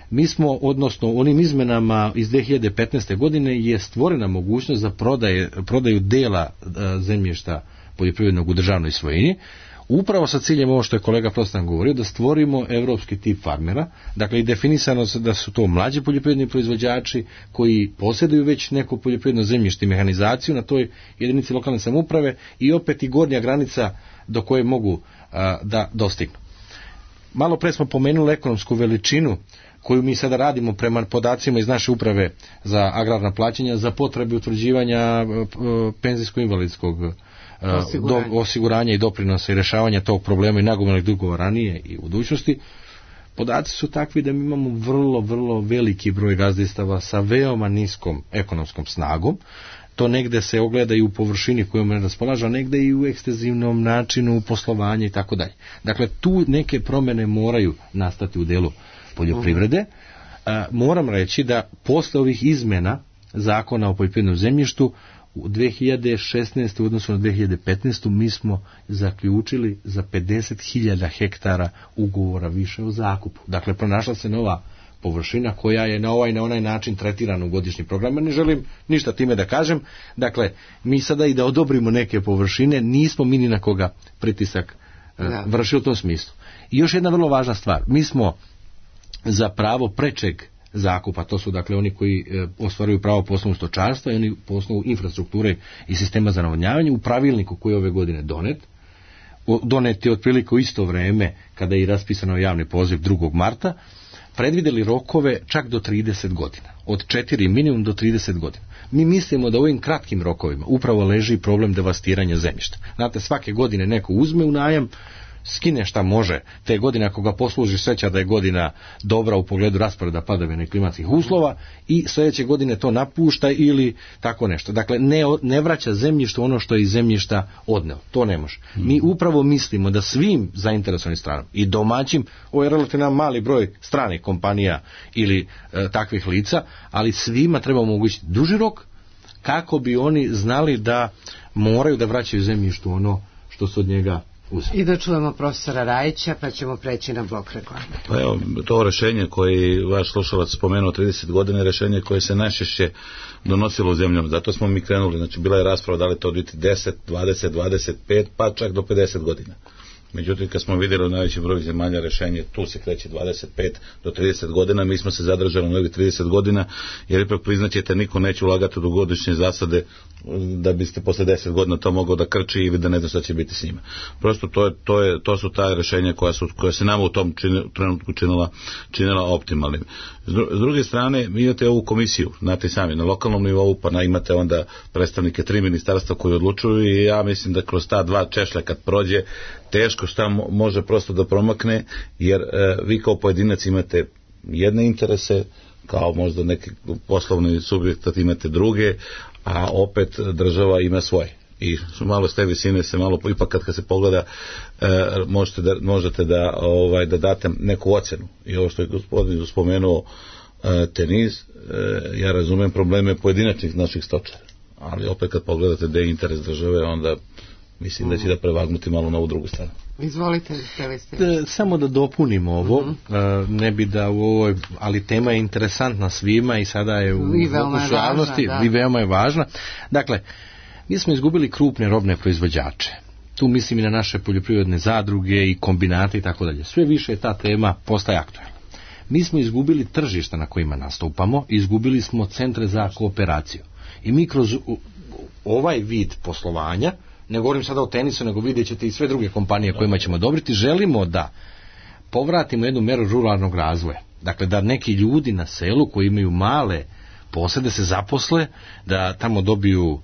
Mi smo, odnosno onim izmenama iz dve hiljade petnaeste. godine je stvorena mogućnost za prodaje, prodaju dela a, zemljišta poljoprivrednog u državnoj svojini, upravo sa ciljem ovo što je kolega Prostan govorio, da stvorimo evropski tip farmera. Dakle, i definisano se da su to mlađi poljoprivredni proizvođači koji posjeduju već neko poljoprivredno zemljište i mehanizaciju na toj jedinici lokalne samouprave, i opet i gornja granica do koje mogu a, da dostignu. Malo pre smo pomenuli ekonomsku veličinu koju mi sada radimo prema podacima iz naše uprave za agrarna plaćanja za potrebe utvrđivanja penzijsko-invalidskog osiguranja. Do, osiguranja i doprinosa i rešavanja tog problema i nagomilanih dugova ranije i u budućnosti. Podaci su takvi da mi imamo vrlo, vrlo veliki broj gazdinstava sa veoma niskom ekonomskom snagom. To negde se ogleda i u površini kojom ne raspolaže, a negde i u ekstenzivnom načinu poslovanja i tako dalje. Dakle, tu neke promjene moraju nastati u delu poljoprivrede. A, moram reći da posle ovih izmena zakona o poljoprivrednom zemljištu u dve hiljade šesnaeste. u odnosu na dve hiljade petnaestu. mi smo zaključili za pedeset hiljada hektara ugovora više o zakupu. Dakle, pronašla se nova površina koja je na ovaj na onaj način tretirana u godišnji program. Ne želim ništa time da kažem. Dakle, mi sada i da odobrimo neke površine, nismo mi ni na koga pritisak uh, vršili u tom smislu. I još jedna vrlo važna stvar. Mi smo za pravo prečeg zakupa. To su dakle oni koji e, ostvaruju pravo po osnovu stočarstva i oni po osnovu infrastrukture i sistema za navodnjavanje. U pravilniku koji je ove godine donet, donet je otprilike u isto vreme kada je i raspisano javni poziv drugog marta, predvidjeli rokove čak do trideset godina. Od četiri minimum do trideset godina. Mi mislimo da u ovim kratkim rokovima upravo leži problem devastiranja zemljišta. Znate, svake godine neko uzme u najam, skine šta može te godine, ako ga posluži sreća da je godina dobra u pogledu rasporeda padavina i klimatskih uslova, i sljedeće godine to napušta ili tako nešto. Dakle, ne, ne vraća zemljište ono što je iz zemljišta odneo. To ne može. Hmm. Mi upravo mislimo da svim zainteresovanim stranama i domaćim, ovo je relativno mali broj stranih kompanija ili e, takvih lica, ali svima treba omogućiti duži rok kako bi oni znali da moraju da vraćaju zemljištu ono što su od njega uzeli. I da čujemo profesora Rajića, pa ćemo preći na blok reklame. Pa evo, to rešenje koje vaš slušalac spomenuo trideset godina je rešenje koje se najčešće donosilo u zemljama. Zato smo mi krenuli, znači bila je rasprava da li to biti deset, dvadeset, dvadeset pet, pa čak do pedeset godina. Međutim, kad smo vidjeli u najvećem broju zemalja rešenje, tu se kreće dvadeset pet do trideset godina, mi smo se zadržali na ovih trideset godina, jer ipak priznaćete, niko neće ulagati u dugogodišnje zasade da biste posle deset godina to mogao da krči ili da ne zna šta će biti s njima. Prosto to, je, to, je, to su ta rešenja koja, su, koja se nama u tom čini, trenutku činila, činila optimalnim. S druge strane, vi imate ovu komisiju, znate sami, na lokalnom nivou, pa na, imate onda predstavnike tri ministarstva koji odlučuju, i ja mislim da kroz ta dva češlja kad prođe, teško šta može prosto da promakne, jer e, vi kao pojedinac imate jedne interese, kao možda neki poslovni subjekt imate druge, a opet država ima svoje. I malo s te visine se malo, ipak kad, kad se pogleda, e, možete da, možete da, ovaj, da date neku ocenu. I ovo što je gospodin spomenuo, e, tenis, e, ja razumem probleme pojedinačnih naših stočara, ali opet kad pogledate da je interes države, onda mislim da će da prevagnuti malo na ovu drugu stranu. Izvolite, ste ste. Samo da dopunimo ovo, mm-hmm. ne bi da u ovoj, ali tema je interesantna svima i sada je u, u javnosti i veoma je važna. Dakle, mi smo izgubili krupne robne proizvođače. Tu mislim i na naše poljoprivredne zadruge i kombinate i tako dalje. Sve više ta tema postaje aktualna. Mi smo izgubili tržišta na kojima nastupamo, izgubili smo centre za kooperaciju. I mi kroz ovaj vid poslovanja, ne govorim sada o tenisu, nego vidjet ćete i sve druge kompanije kojima ćemo odobriti, želimo da povratimo jednu meru ruralnog razvoja. Dakle, da neki ljudi na selu koji imaju male posede se zaposle, da tamo dobiju uh,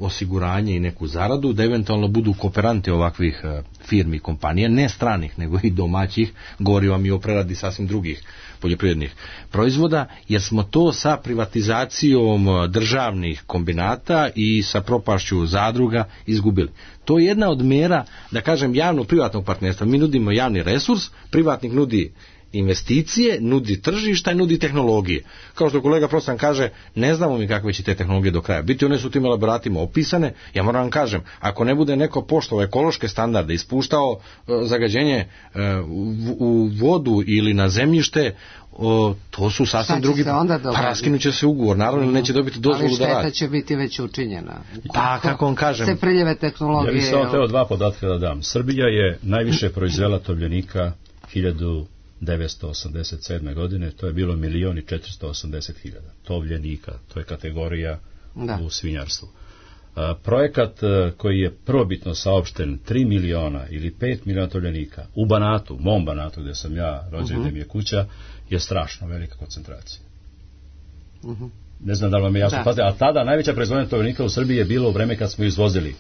osiguranje i neku zaradu, da eventualno budu kooperanti ovakvih uh, firmi i kompanija, ne stranih, nego i domaćih, govorim vam i o preradi sasvim drugih poljoprivrednih proizvoda, jer smo to sa privatizacijom državnih kombinata i sa propašću zadruga izgubili. To je jedna od mera, da kažem, javno-privatnog partnerstva. Mi nudimo javni resurs, privatnik nudi investicije, nudi tržišta i nudi tehnologije. Kao što kolega Prostan kaže, ne znamo mi kakve će te tehnologije do kraja biti, one su tim elaboratima opisane. Ja moram vam kažem, ako ne bude neko poštovao ekološke standarde, ispuštao uh, zagađenje uh, u, u vodu ili na zemljište, uh, to su sasvim drugi, pa raskinuće se ugovor, naravno, mm. neće dobiti dozvolu da radi. Ali šteta će biti već učinjena. Pa, kako vam kažem. Se priljeve tehnologije. Ja bih samo teo dva podatka da dam. Srbija je najviše proizvela tovljenika hiljadu devetsto osamdeset sedme godine, to je bilo milion i četiristo osamdeset hiljada tovljenika, to je kategorija da. U svinjarstvu. A, projekat a, koji je prvobitno saopšten tri miliona ili pet miliona tovljenika u Banatu, mom Banatu gdje sam ja rođen, uh-huh. gdje mi je kuća, je strašno velika koncentracija. Uh-huh. Ne znam da li vam je jasno, pazite, a tada najveća proizvodnja tovljenika u Srbiji je bilo u vreme kad smo izvozili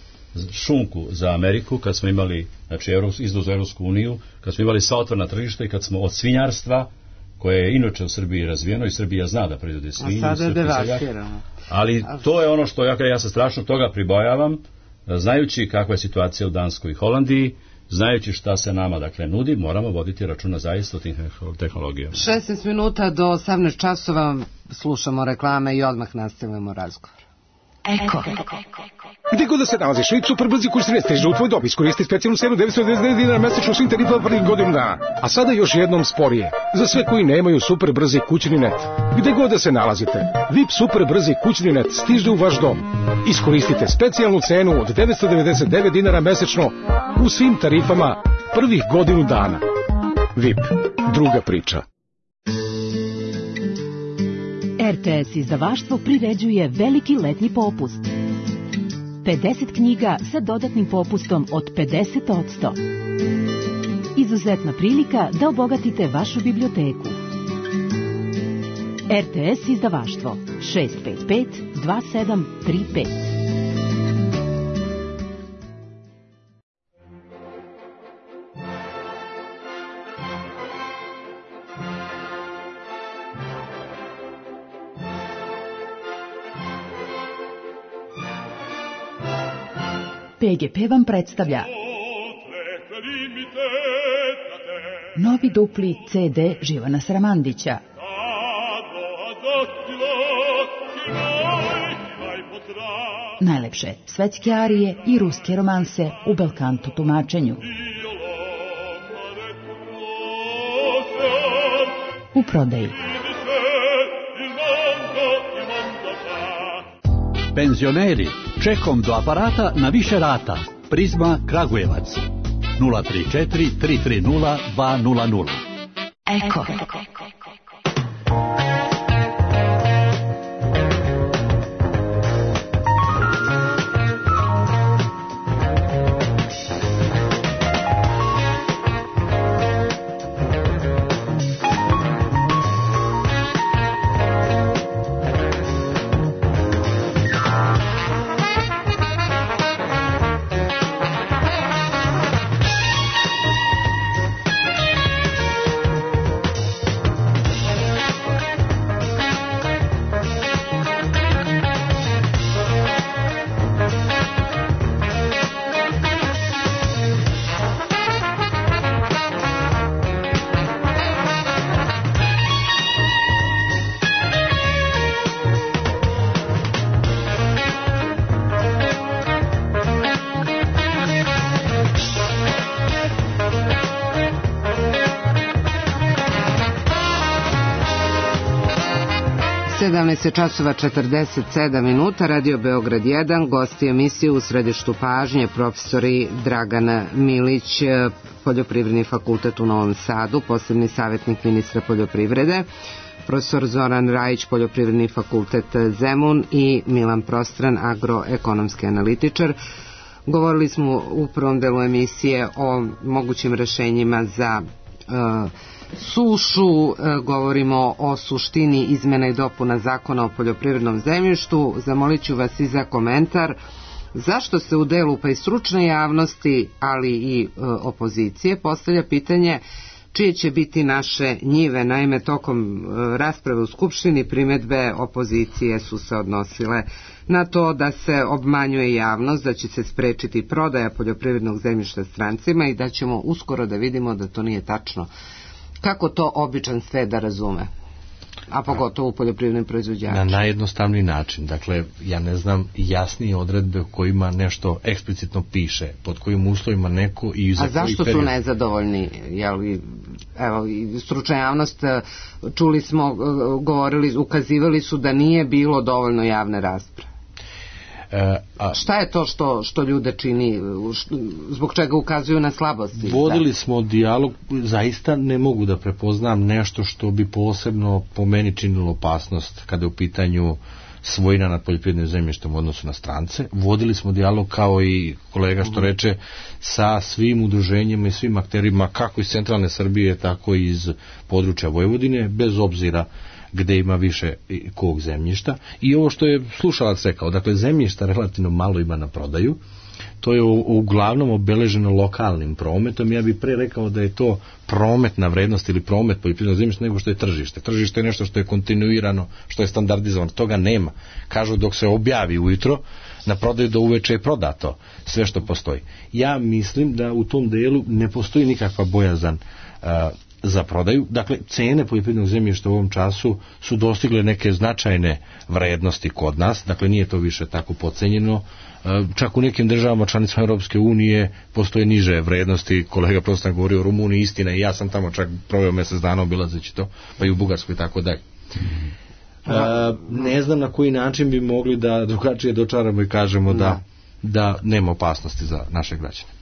šunku za Ameriku, kad smo imali, znači, izvoz u Evropsku uniju, kad smo imali sva otvorena tržišta i kad smo od svinjarstva, koje je inače u Srbiji razvijeno i Srbija zna da proizvode svinju, a sada je devastirano. Ali to je ono što ja, ja se strašno toga pribojavam, znajući kakva je situacija u Danskoj i Holandiji, znajući šta se nama dakle nudi, moramo voditi računa zaista o tim tehnologijama. šesnaest minuta do osamnaest časova slušamo reklame i odmah nastavljamo razgovor. Eko. Gdje god da se nalaziš, Vip super brzi kurs stiže u tvoj dom. Iskoristi specijalnu cenu devetsto devedeset devet dinara mesečno svim tarifama prvih godinu dana. A sada još jednom sporije. Za sve koji nemaju super brzi kućni net. Gdje god da se nalazite, Vip super brzi kućni net stiže u vaš dom. Iskoristite specijalnu cenu od devetsto devedeset devet dinara mesečno u svim tarifama prvih godinu dana. Vip, druga priča. er te es izdavaštvo priređuje veliki letnji popust. pedeset knjiga sa dodatnim popustom od pedeset posto. Izuzetna prilika da obogatite vašu biblioteku. er te es izdavaštvo šest pet pet dva sedam tri pet. Pe ge pe vam predstavlja novi dupli ce de Živana Sramandića. Najlepše svetske arije i ruske romanse u belkanto tumačenju. U prodaji. Penzioneri, čekom do aparata na više rata. Prizma Kragujevac. nula tri četiri tri tri nula dva nula nula. Eko. sedamnaest časova četrdeset sedam minuta, Radio Beograd jedan, gosti emisije u središtu pažnje profesori Dragan Milić, Poljoprivredni fakultet u Novom Sadu, posebni savjetnik ministra poljoprivrede, profesor Zoran Rajić, Poljoprivredni fakultet Zemun i Milan Prostran, agroekonomski analitičar. Govorili smo u prvom delu emisije o mogućim rešenjima za uh, sušu, govorimo o suštini izmena i dopuna zakona o poljoprivrednom zemljištu. Zamolit ću vas i za komentar zašto se u delu pa i stručne javnosti, ali i e, opozicije postavlja pitanje čije će biti naše njive. Naime, tokom e, rasprave u Skupštini primedbe opozicije su se odnosile na to da se obmanjuje javnost, da će se sprečiti prodaja poljoprivrednog zemljišta strancima i da ćemo uskoro da vidimo da to nije tačno. Kako to običan sve da razume? A pogotovo u poljoprivrednim proizvođačima? Na najjednostavniji način. Dakle, ja ne znam jasnije odredbe u kojima nešto eksplicitno piše, pod kojim uslovima neko i za koji period. A zašto su nezadovoljni? Jel, evo, stručna javnost, čuli smo, govorili, ukazivali su da nije bilo dovoljno javne rasprave. E, a, šta je to što, što ljude čini, zbog čega ukazuju na slabosti? Vodili smo dijalog, zaista ne mogu da prepoznam nešto što bi posebno po meni činilo opasnost kada je u pitanju svojina nad poljoprivrednim zemljištem u odnosu na strance. Vodili smo dijalog, kao i kolega što reče, sa svim udruženjima i svim akterima, kako iz centralne Srbije, tako i iz područja Vojvodine, bez obzira gde ima više kog zemljišta. I ovo što je slušalac rekao, dakle zemljišta relativno malo ima na prodaju, to je uglavnom obeleženo lokalnim prometom. Ja bih pre rekao da je to prometna vrednost ili promet poljoprivrednog zemljišta nego što je tržište. Tržište je nešto što je kontinuirano, što je standardizovano, toga nema. Kažu dok se objavi ujutro, na prodaju do uveče je prodato sve što postoji. Ja mislim da u tom delu ne postoji nikakva bojazan uh, za prodaju. Dakle, cene poljoprivrednog zemljišta u ovom času su dostigle neke značajne vrednosti kod nas, dakle nije to više tako podcenjeno. Čak u nekim državama članicama Europske unije postoje niže vrednosti. Kolega prosto govori o Rumuniji, istina, i ja sam tamo čak proveo mjesec dana obilazeći to, pa i u Bugarskoj i tako dalje. Ne znam na koji način bi mogli da drugačije dočaramo i kažemo da, da nema opasnosti za naše građane.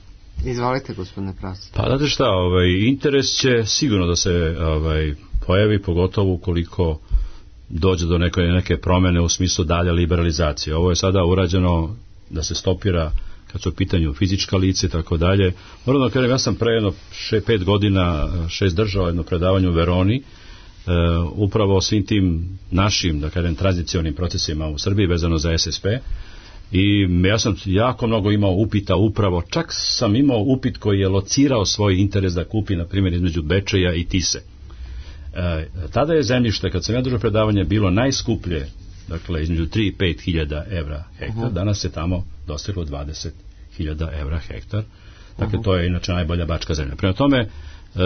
Izvolite, gospodine Pras. Pa znate šta, ovaj, interes će sigurno da se ovaj, pojavi, pogotovo ukoliko dođe do neke, neke promjene u smislu dalje liberalizacije. Ovo je sada urađeno da se stopira kad su u pitanju fizička lice i tako dalje. Moram da kažem, ja sam pre jedno še, pet godina šest držao jedno predavanje u Veroni, Uh, upravo o svim tim našim, da kažem, tranzicionim procesima u Srbiji vezano za S S P, i ja sam jako mnogo imao upita upravo, čak sam imao upit koji je locirao svoj interes da kupi, na primjer, između Bečeja i Tise. Uh, tada je zemljište, kad sam ja držao predavanje, bilo najskuplje, dakle između tri i pet hiljada evra hektar, uh-huh. Danas je tamo dostiglo dvadeset hiljada evra hektar, dakle uh-huh. To je inače najbolja bačka zemlja. Prema tome, E,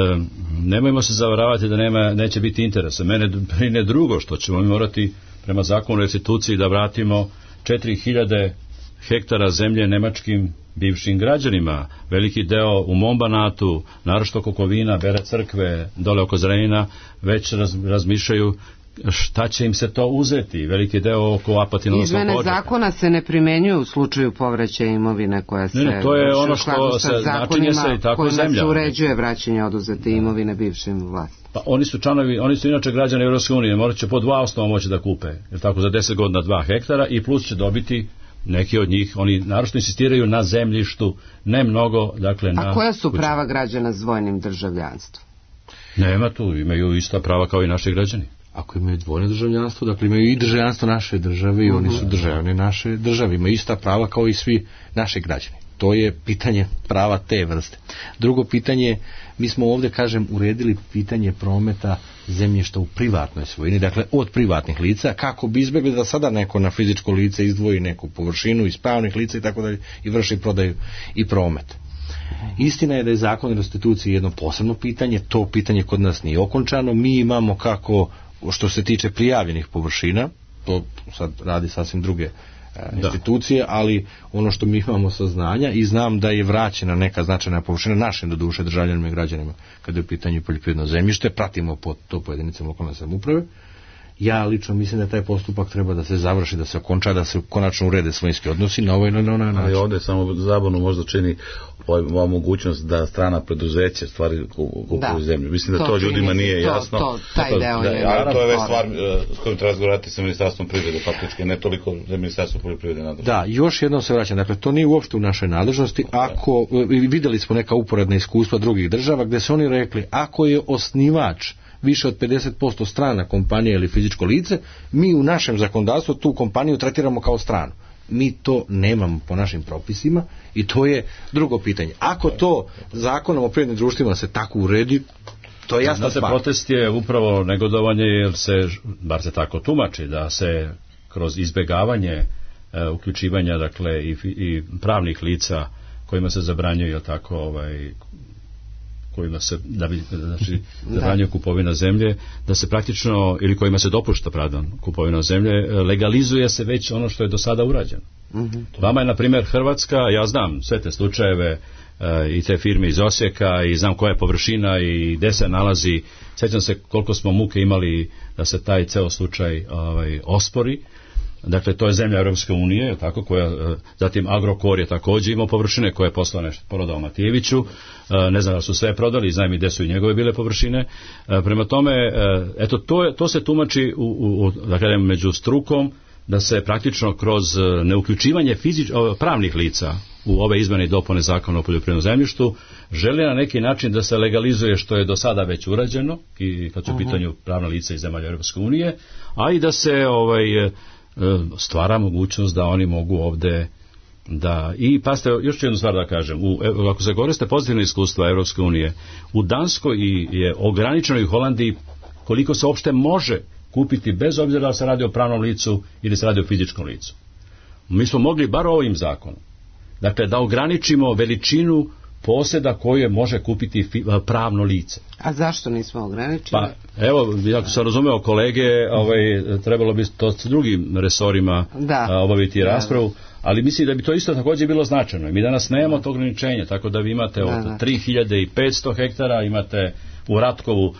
nemojmo se zavaravati da nema, neće biti interesa. Mene brine drugo, što ćemo mi morati prema zakonu o restituciji da vratimo četiri hiljade hektara zemlje nemačkim bivšim građanima. Veliki deo u mom Banatu, naročito oko Kovina, Bele Crkve, dole oko Zrenjanina, već raz, razmišljaju šta će im se to uzeti. Veliki deo oko Apatinovog Počeka. Izmene zakona se ne primenjuju u slučaju povraćaja imovine koja se... Ne, ne, to je ono što se načinje se i tako zemlja. Kojima se uređuje vraćanje oduzete imovine bivšim vlastima. Pa oni su članovi, oni su inače građani Evropske unije, morat će po dva osnova moći da kupe, jer tako za deset godina dva hektara, i plus će dobiti neki od njih, oni naročito insistiraju na zemljištu, ne mnogo, dakle na... A koja su prava građana s dvojnim državljanstvom? Nema tu, imaju ista prava kao i naši građani. Ako imaju dvojno državljanstvo, dakle imaju i državljanstvo naše države i oni su državljani naše države, imaju ista prava kao i svi naši građani. To je pitanje prava te vrste. Drugo pitanje, mi smo ovdje, kažem, uredili pitanje prometa zemljišta u privatnoj svojini, dakle od privatnih lica, kako bi izbjegli da sada neko na fizičko lice izdvoji neku površinu iz pravnih lica i tako dalje i vrši prodaju i promet. Istina je da je zakon o restituciji jedno posebno pitanje, to pitanje kod nas nije okončano, mi imamo kako što se tiče prijavljenih površina, to sad radi sasvim druge e, institucije, ali ono što mi imamo saznanja, i znam da je vraćena neka značajna površina našim doduše državljanima i građanima kada je u pitanju poljoprivredno zemljište, pratimo po to po jedinicama lokalne samouprave. Ja lično mislim da taj postupak treba da se završi, da se okonča, da se konačno urede svojinski odnosi na ovaj na onaj način. Ali ovdje samo zabavno možda čini ova mogućnost da strana preduzeća stvari kupuju zemlju. Mislim da to, to ljudima nije to, jasno. To, taj deo da, je. Ali to je već stvar s kojim treba razgovarati sa Ministarstvom privrede, faktički, ne toliko za Ministarstvo poljoprivrede nadležnosti. Da, još jednom se vraćam. Dakle, to nije uopšte u našoj nadležnosti. Ako, vidjeli smo neka uporedna iskustva drugih država gdje su oni rekli, ako je osnivač više od pedeset posto strana kompanija ili fizičko lice, mi u našem zakonodavstvu tu kompaniju tretiramo kao stranu. Mi to nemamo po našim propisima i to je drugo pitanje. Ako to zakonom o privrednim društvima se tako uredi, to je jasna stvar. Protest je upravo negodovanje, jer se, bar se tako tumači, da se kroz izbjegavanje e, uključivanja, dakle, i, i pravnih lica kojima se zabranjuje tako ovaj kojima se da bi znači zabranjuje kupovina zemlje, da se praktično, ili kojima se dopušta, pardon, kupovina zemlje, legalizuje se već ono što je do sada urađeno. Mm-hmm. Vama je, na primjer, Hrvatska, ja znam sve te slučajeve e, i te firme iz Osijeka i znam koja je površina i gde se nalazi. Sjećam se koliko smo muke imali da se taj ceo slučaj ovaj, ospori. Dakle, to je zemlja Europske unije, tako, koja, zatim Agrokor je također imao površine koje je poslao nešto prodao Matijeviću, ne znam da su sve prodali, znam i gde su i njegove bile površine. Prema tome, eto, to, to se tumači u, u, da kažem, među strukom, da se praktično kroz neuključivanje fizič, pravnih lica u ove izmjene i dopune zakona o poljoprivrednom zemljištu žele na neki način da se legalizuje što je do sada već urađeno, i kad su u pitanju pravna lica iz zemalja Europske unije, a i da se ovaj stvara mogućnost da oni mogu ovdje da, i pasite, još jednu stvar da kažem, u, ako se koriste pozitivne iskustva Europske unije, u Danskoj je ograničeno i u Holandiji koliko se uopšte može kupiti, bez obzira da se radi o pravnom licu ili se radi o fizičkom licu. Mi smo mogli bar ovim zakonom, dakle, da ograničimo veličinu posjeda koje može kupiti pravno lice. A zašto nismo ograničili? Pa, evo, ako sam razumeo kolege, ovaj, trebalo bi to s drugim resorima da. obaviti raspravu, ali mislim da bi to isto također bilo značajno. Mi danas nemamo to ograničenje, tako da vi imate od tri hiljade petsto hektara, imate u Ratkovu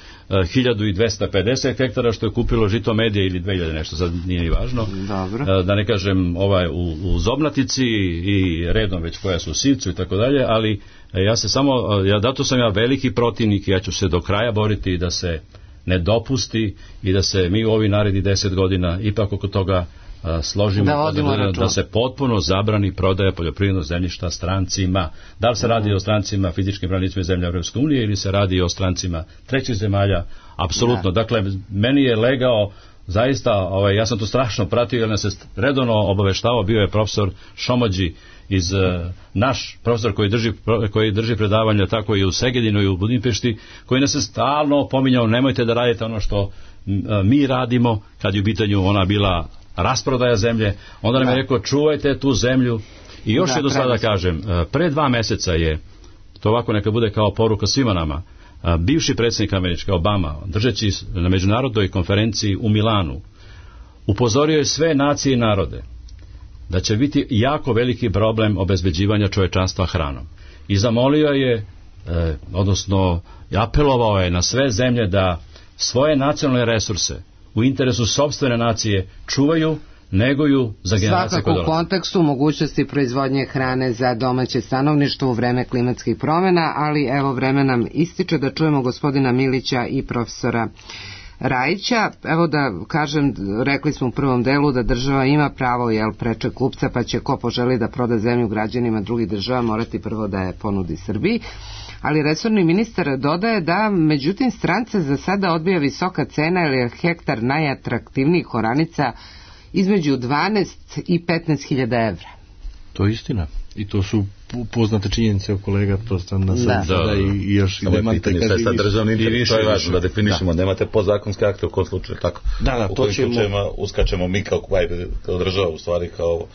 hiljadu dvesta pedeset hektara što je kupilo Žito Medije ili dve hiljade nešto, sad nije ni važno. Dobro. Da ne kažem ovaj u, u Zobnatici i redom već koja su u Sivcu i tako dalje, ali ja se samo, ja, dato sam ja veliki protivnik i ja ću se do kraja boriti da se ne dopusti i da se mi u ovi naredni deset godina ipak oko toga a, složimo da, da, da se potpuno zabrani prodaja poljoprivrednog zemljišta strancima. Da li se radi o strancima, fizičkim pravnim zemlja Evropske unije ili se radi o strancima trećih zemalja? Apsolutno. Da. Dakle, meni je legao zaista, ovaj, ja sam to strašno pratio jer nas se redovno obaveštavao, bio je profesor Šomođi iz uh, naš profesor koji drži, koji drži predavanja tako i u Segedinu i u Budimpešti, koji nas je stalno pominjao nemojte da radite ono što uh, mi radimo kad je u pitanju ona bila rasprodaja zemlje, onda nam je rekao čuvajte tu zemlju i još jedno sada da kažem, uh, pre dva meseca je to ovako neka bude kao poruka svima nama, uh, bivši predsjednik Američke Obama držeći na međunarodnoj konferenciji u Milanu upozorio je sve nacije i narode da će biti jako veliki problem obezbeđivanja čovečanstva hranom. I zamolio je, eh, odnosno apelovao je na sve zemlje da svoje nacionalne resurse u interesu sopstvene nacije čuvaju, neguju za generacije koje dolaze. Svakako u kontekstu mogućnosti proizvodnje hrane za domaće stanovništvo u vreme klimatskih promjena, ali evo vreme nam ističe da čujemo gospodina Milića i profesora Rajića. Evo da kažem, rekli smo u prvom delu da država ima pravo jel, preče kupca, pa će ko poželi da proda zemlju građanima drugih država morati prvo da je ponudi Srbiji. Ali resorni ministar dodaje da međutim stranca za sada odbija visoka cena jer je hektar najatraktivnijih oranica između dvanaest i petnaest hiljada evra. To je istina. I to su poznate činjenice o kolega, to sam na sad da, da, i još i nemate kada sad državni interes, to je važno da definišemo, da. Nemate podzakonske akte u kom slučaju, tako. Da, da, u to ćemo uskačemo mi kao, kao država, u stvari kao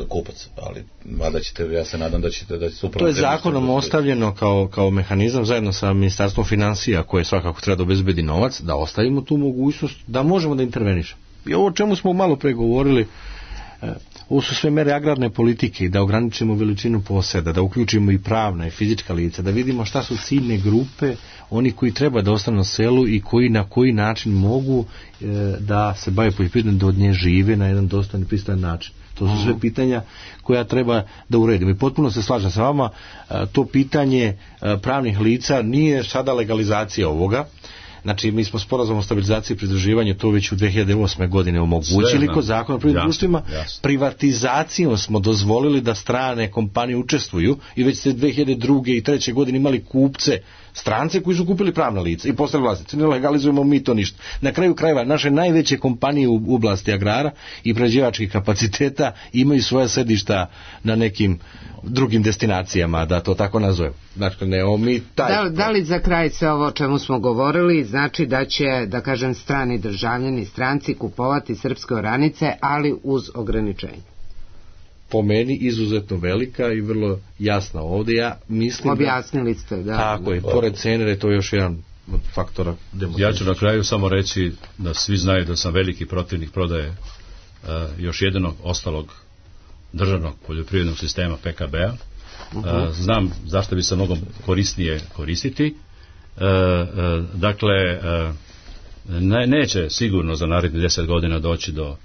kupac, ali mada ćete, ja se nadam da ćete da će to je zakonom ostavljeno kao, kao mehanizam zajedno sa Ministarstvom financija koje svakako treba da obezbedi novac, da ostavimo tu mogućnost da možemo da intervenišemo. I ovo o čemu smo malo pregovorili, ovo su sve mere agrarne politike, da ograničimo veličinu poseda, da uključimo i pravna i fizička lica, da vidimo šta su ciljne grupe, oni koji treba da ostanu na selu i koji na koji način mogu e, da se bave poljoprivredom, da od nje žive na jedan dostojan i pristojan način. To su sve pitanja koja treba da uredimo. I potpuno se slažem sa vama, to pitanje pravnih lica nije sada legalizacija ovoga. Znači, mi smo sporazum o stabilizaciji i pridruživanju to već u dve hiljade osme godine omogućili kod zakona o privrednim društvima. Privatizacijom smo dozvolili da strane kompanije učestvuju i već ste dve hiljade druge i treće godine imali kupce, strance koji su kupili pravna lica i postali vlasnici. Ne legalizujemo mi to ništa. Na kraju krajeva, naše najveće kompanije u oblasti agrara i prerađivačkih kapaciteta imaju svoja sedišta na nekim drugim destinacijama, da to tako nazovem. Znači, ne mi taj... Da, da li za kraj sve ovo o čemu smo govorili znači da će, da kažem, strani državljani, stranci kupovati srpske oranice, ali uz ograničenje? Po meni izuzetno velika i vrlo jasna ovdje. Ja mislim objasnili ste, da. Tako je, pored cene je to još jedan od faktora demokracije. Ja ću na kraju samo reći da svi znaju da sam veliki protivnik prodaje uh, još jednog ostalog državnog poljoprivrednog sistema P K B-a. Uh, znam zašto bi se mnogo korisnije koristiti. Uh, uh, dakle, uh, ne, neće sigurno za narednih deset godina doći do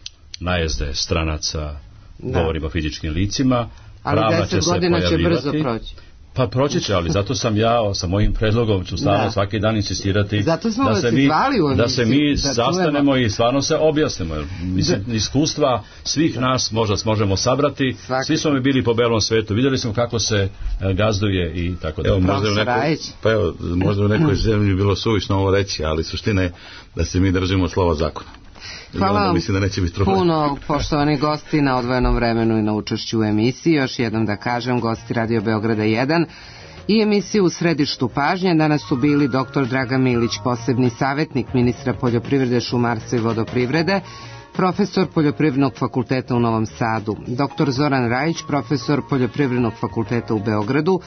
najezde stranaca, da. Govorimo o fizičkim licima. Ali deset godina će brzo proći. Pa proći će, ali zato sam ja sa mojim predlogom ću stalno svaki dan insistirati da se mi, da se mi da sastanemo i stvarno se objasnimo. Mislim, da. Iskustva svih nas možda možemo sabrati. Svaki. Svi smo mi bili po belom svetu, vidjeli smo kako se gazduje i tako da. Evo, možda, u nekoj, pa evo, možda u nekoj zemlji bilo suvišno ovo reći, ali suština je da se mi držimo slova zakona. Hvala vam puno, poštovani gosti, na odvojenom vremenu i na učešću u emisiji. Još jednom da kažem, gosti Radio Beograda jedan i emisiju U središtu pažnje. Danas su bili doktor Dragan Milić, posebni savjetnik ministra poljoprivrede, šumarstva i vodoprivrede, profesor Poljoprivrednog fakulteta u Novom Sadu, doktor Zoran Rajić, profesor Poljoprivrednog fakulteta u Beogradu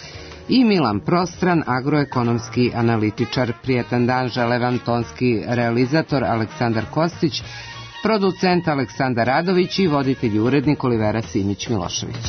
i Milan Prostran, agroekonomski analitičar. Prijetan dan žele vam tonski realizator Aleksandar Kostić, producent Aleksandar Radović i voditelj i urednik Olivera Simić Milošević.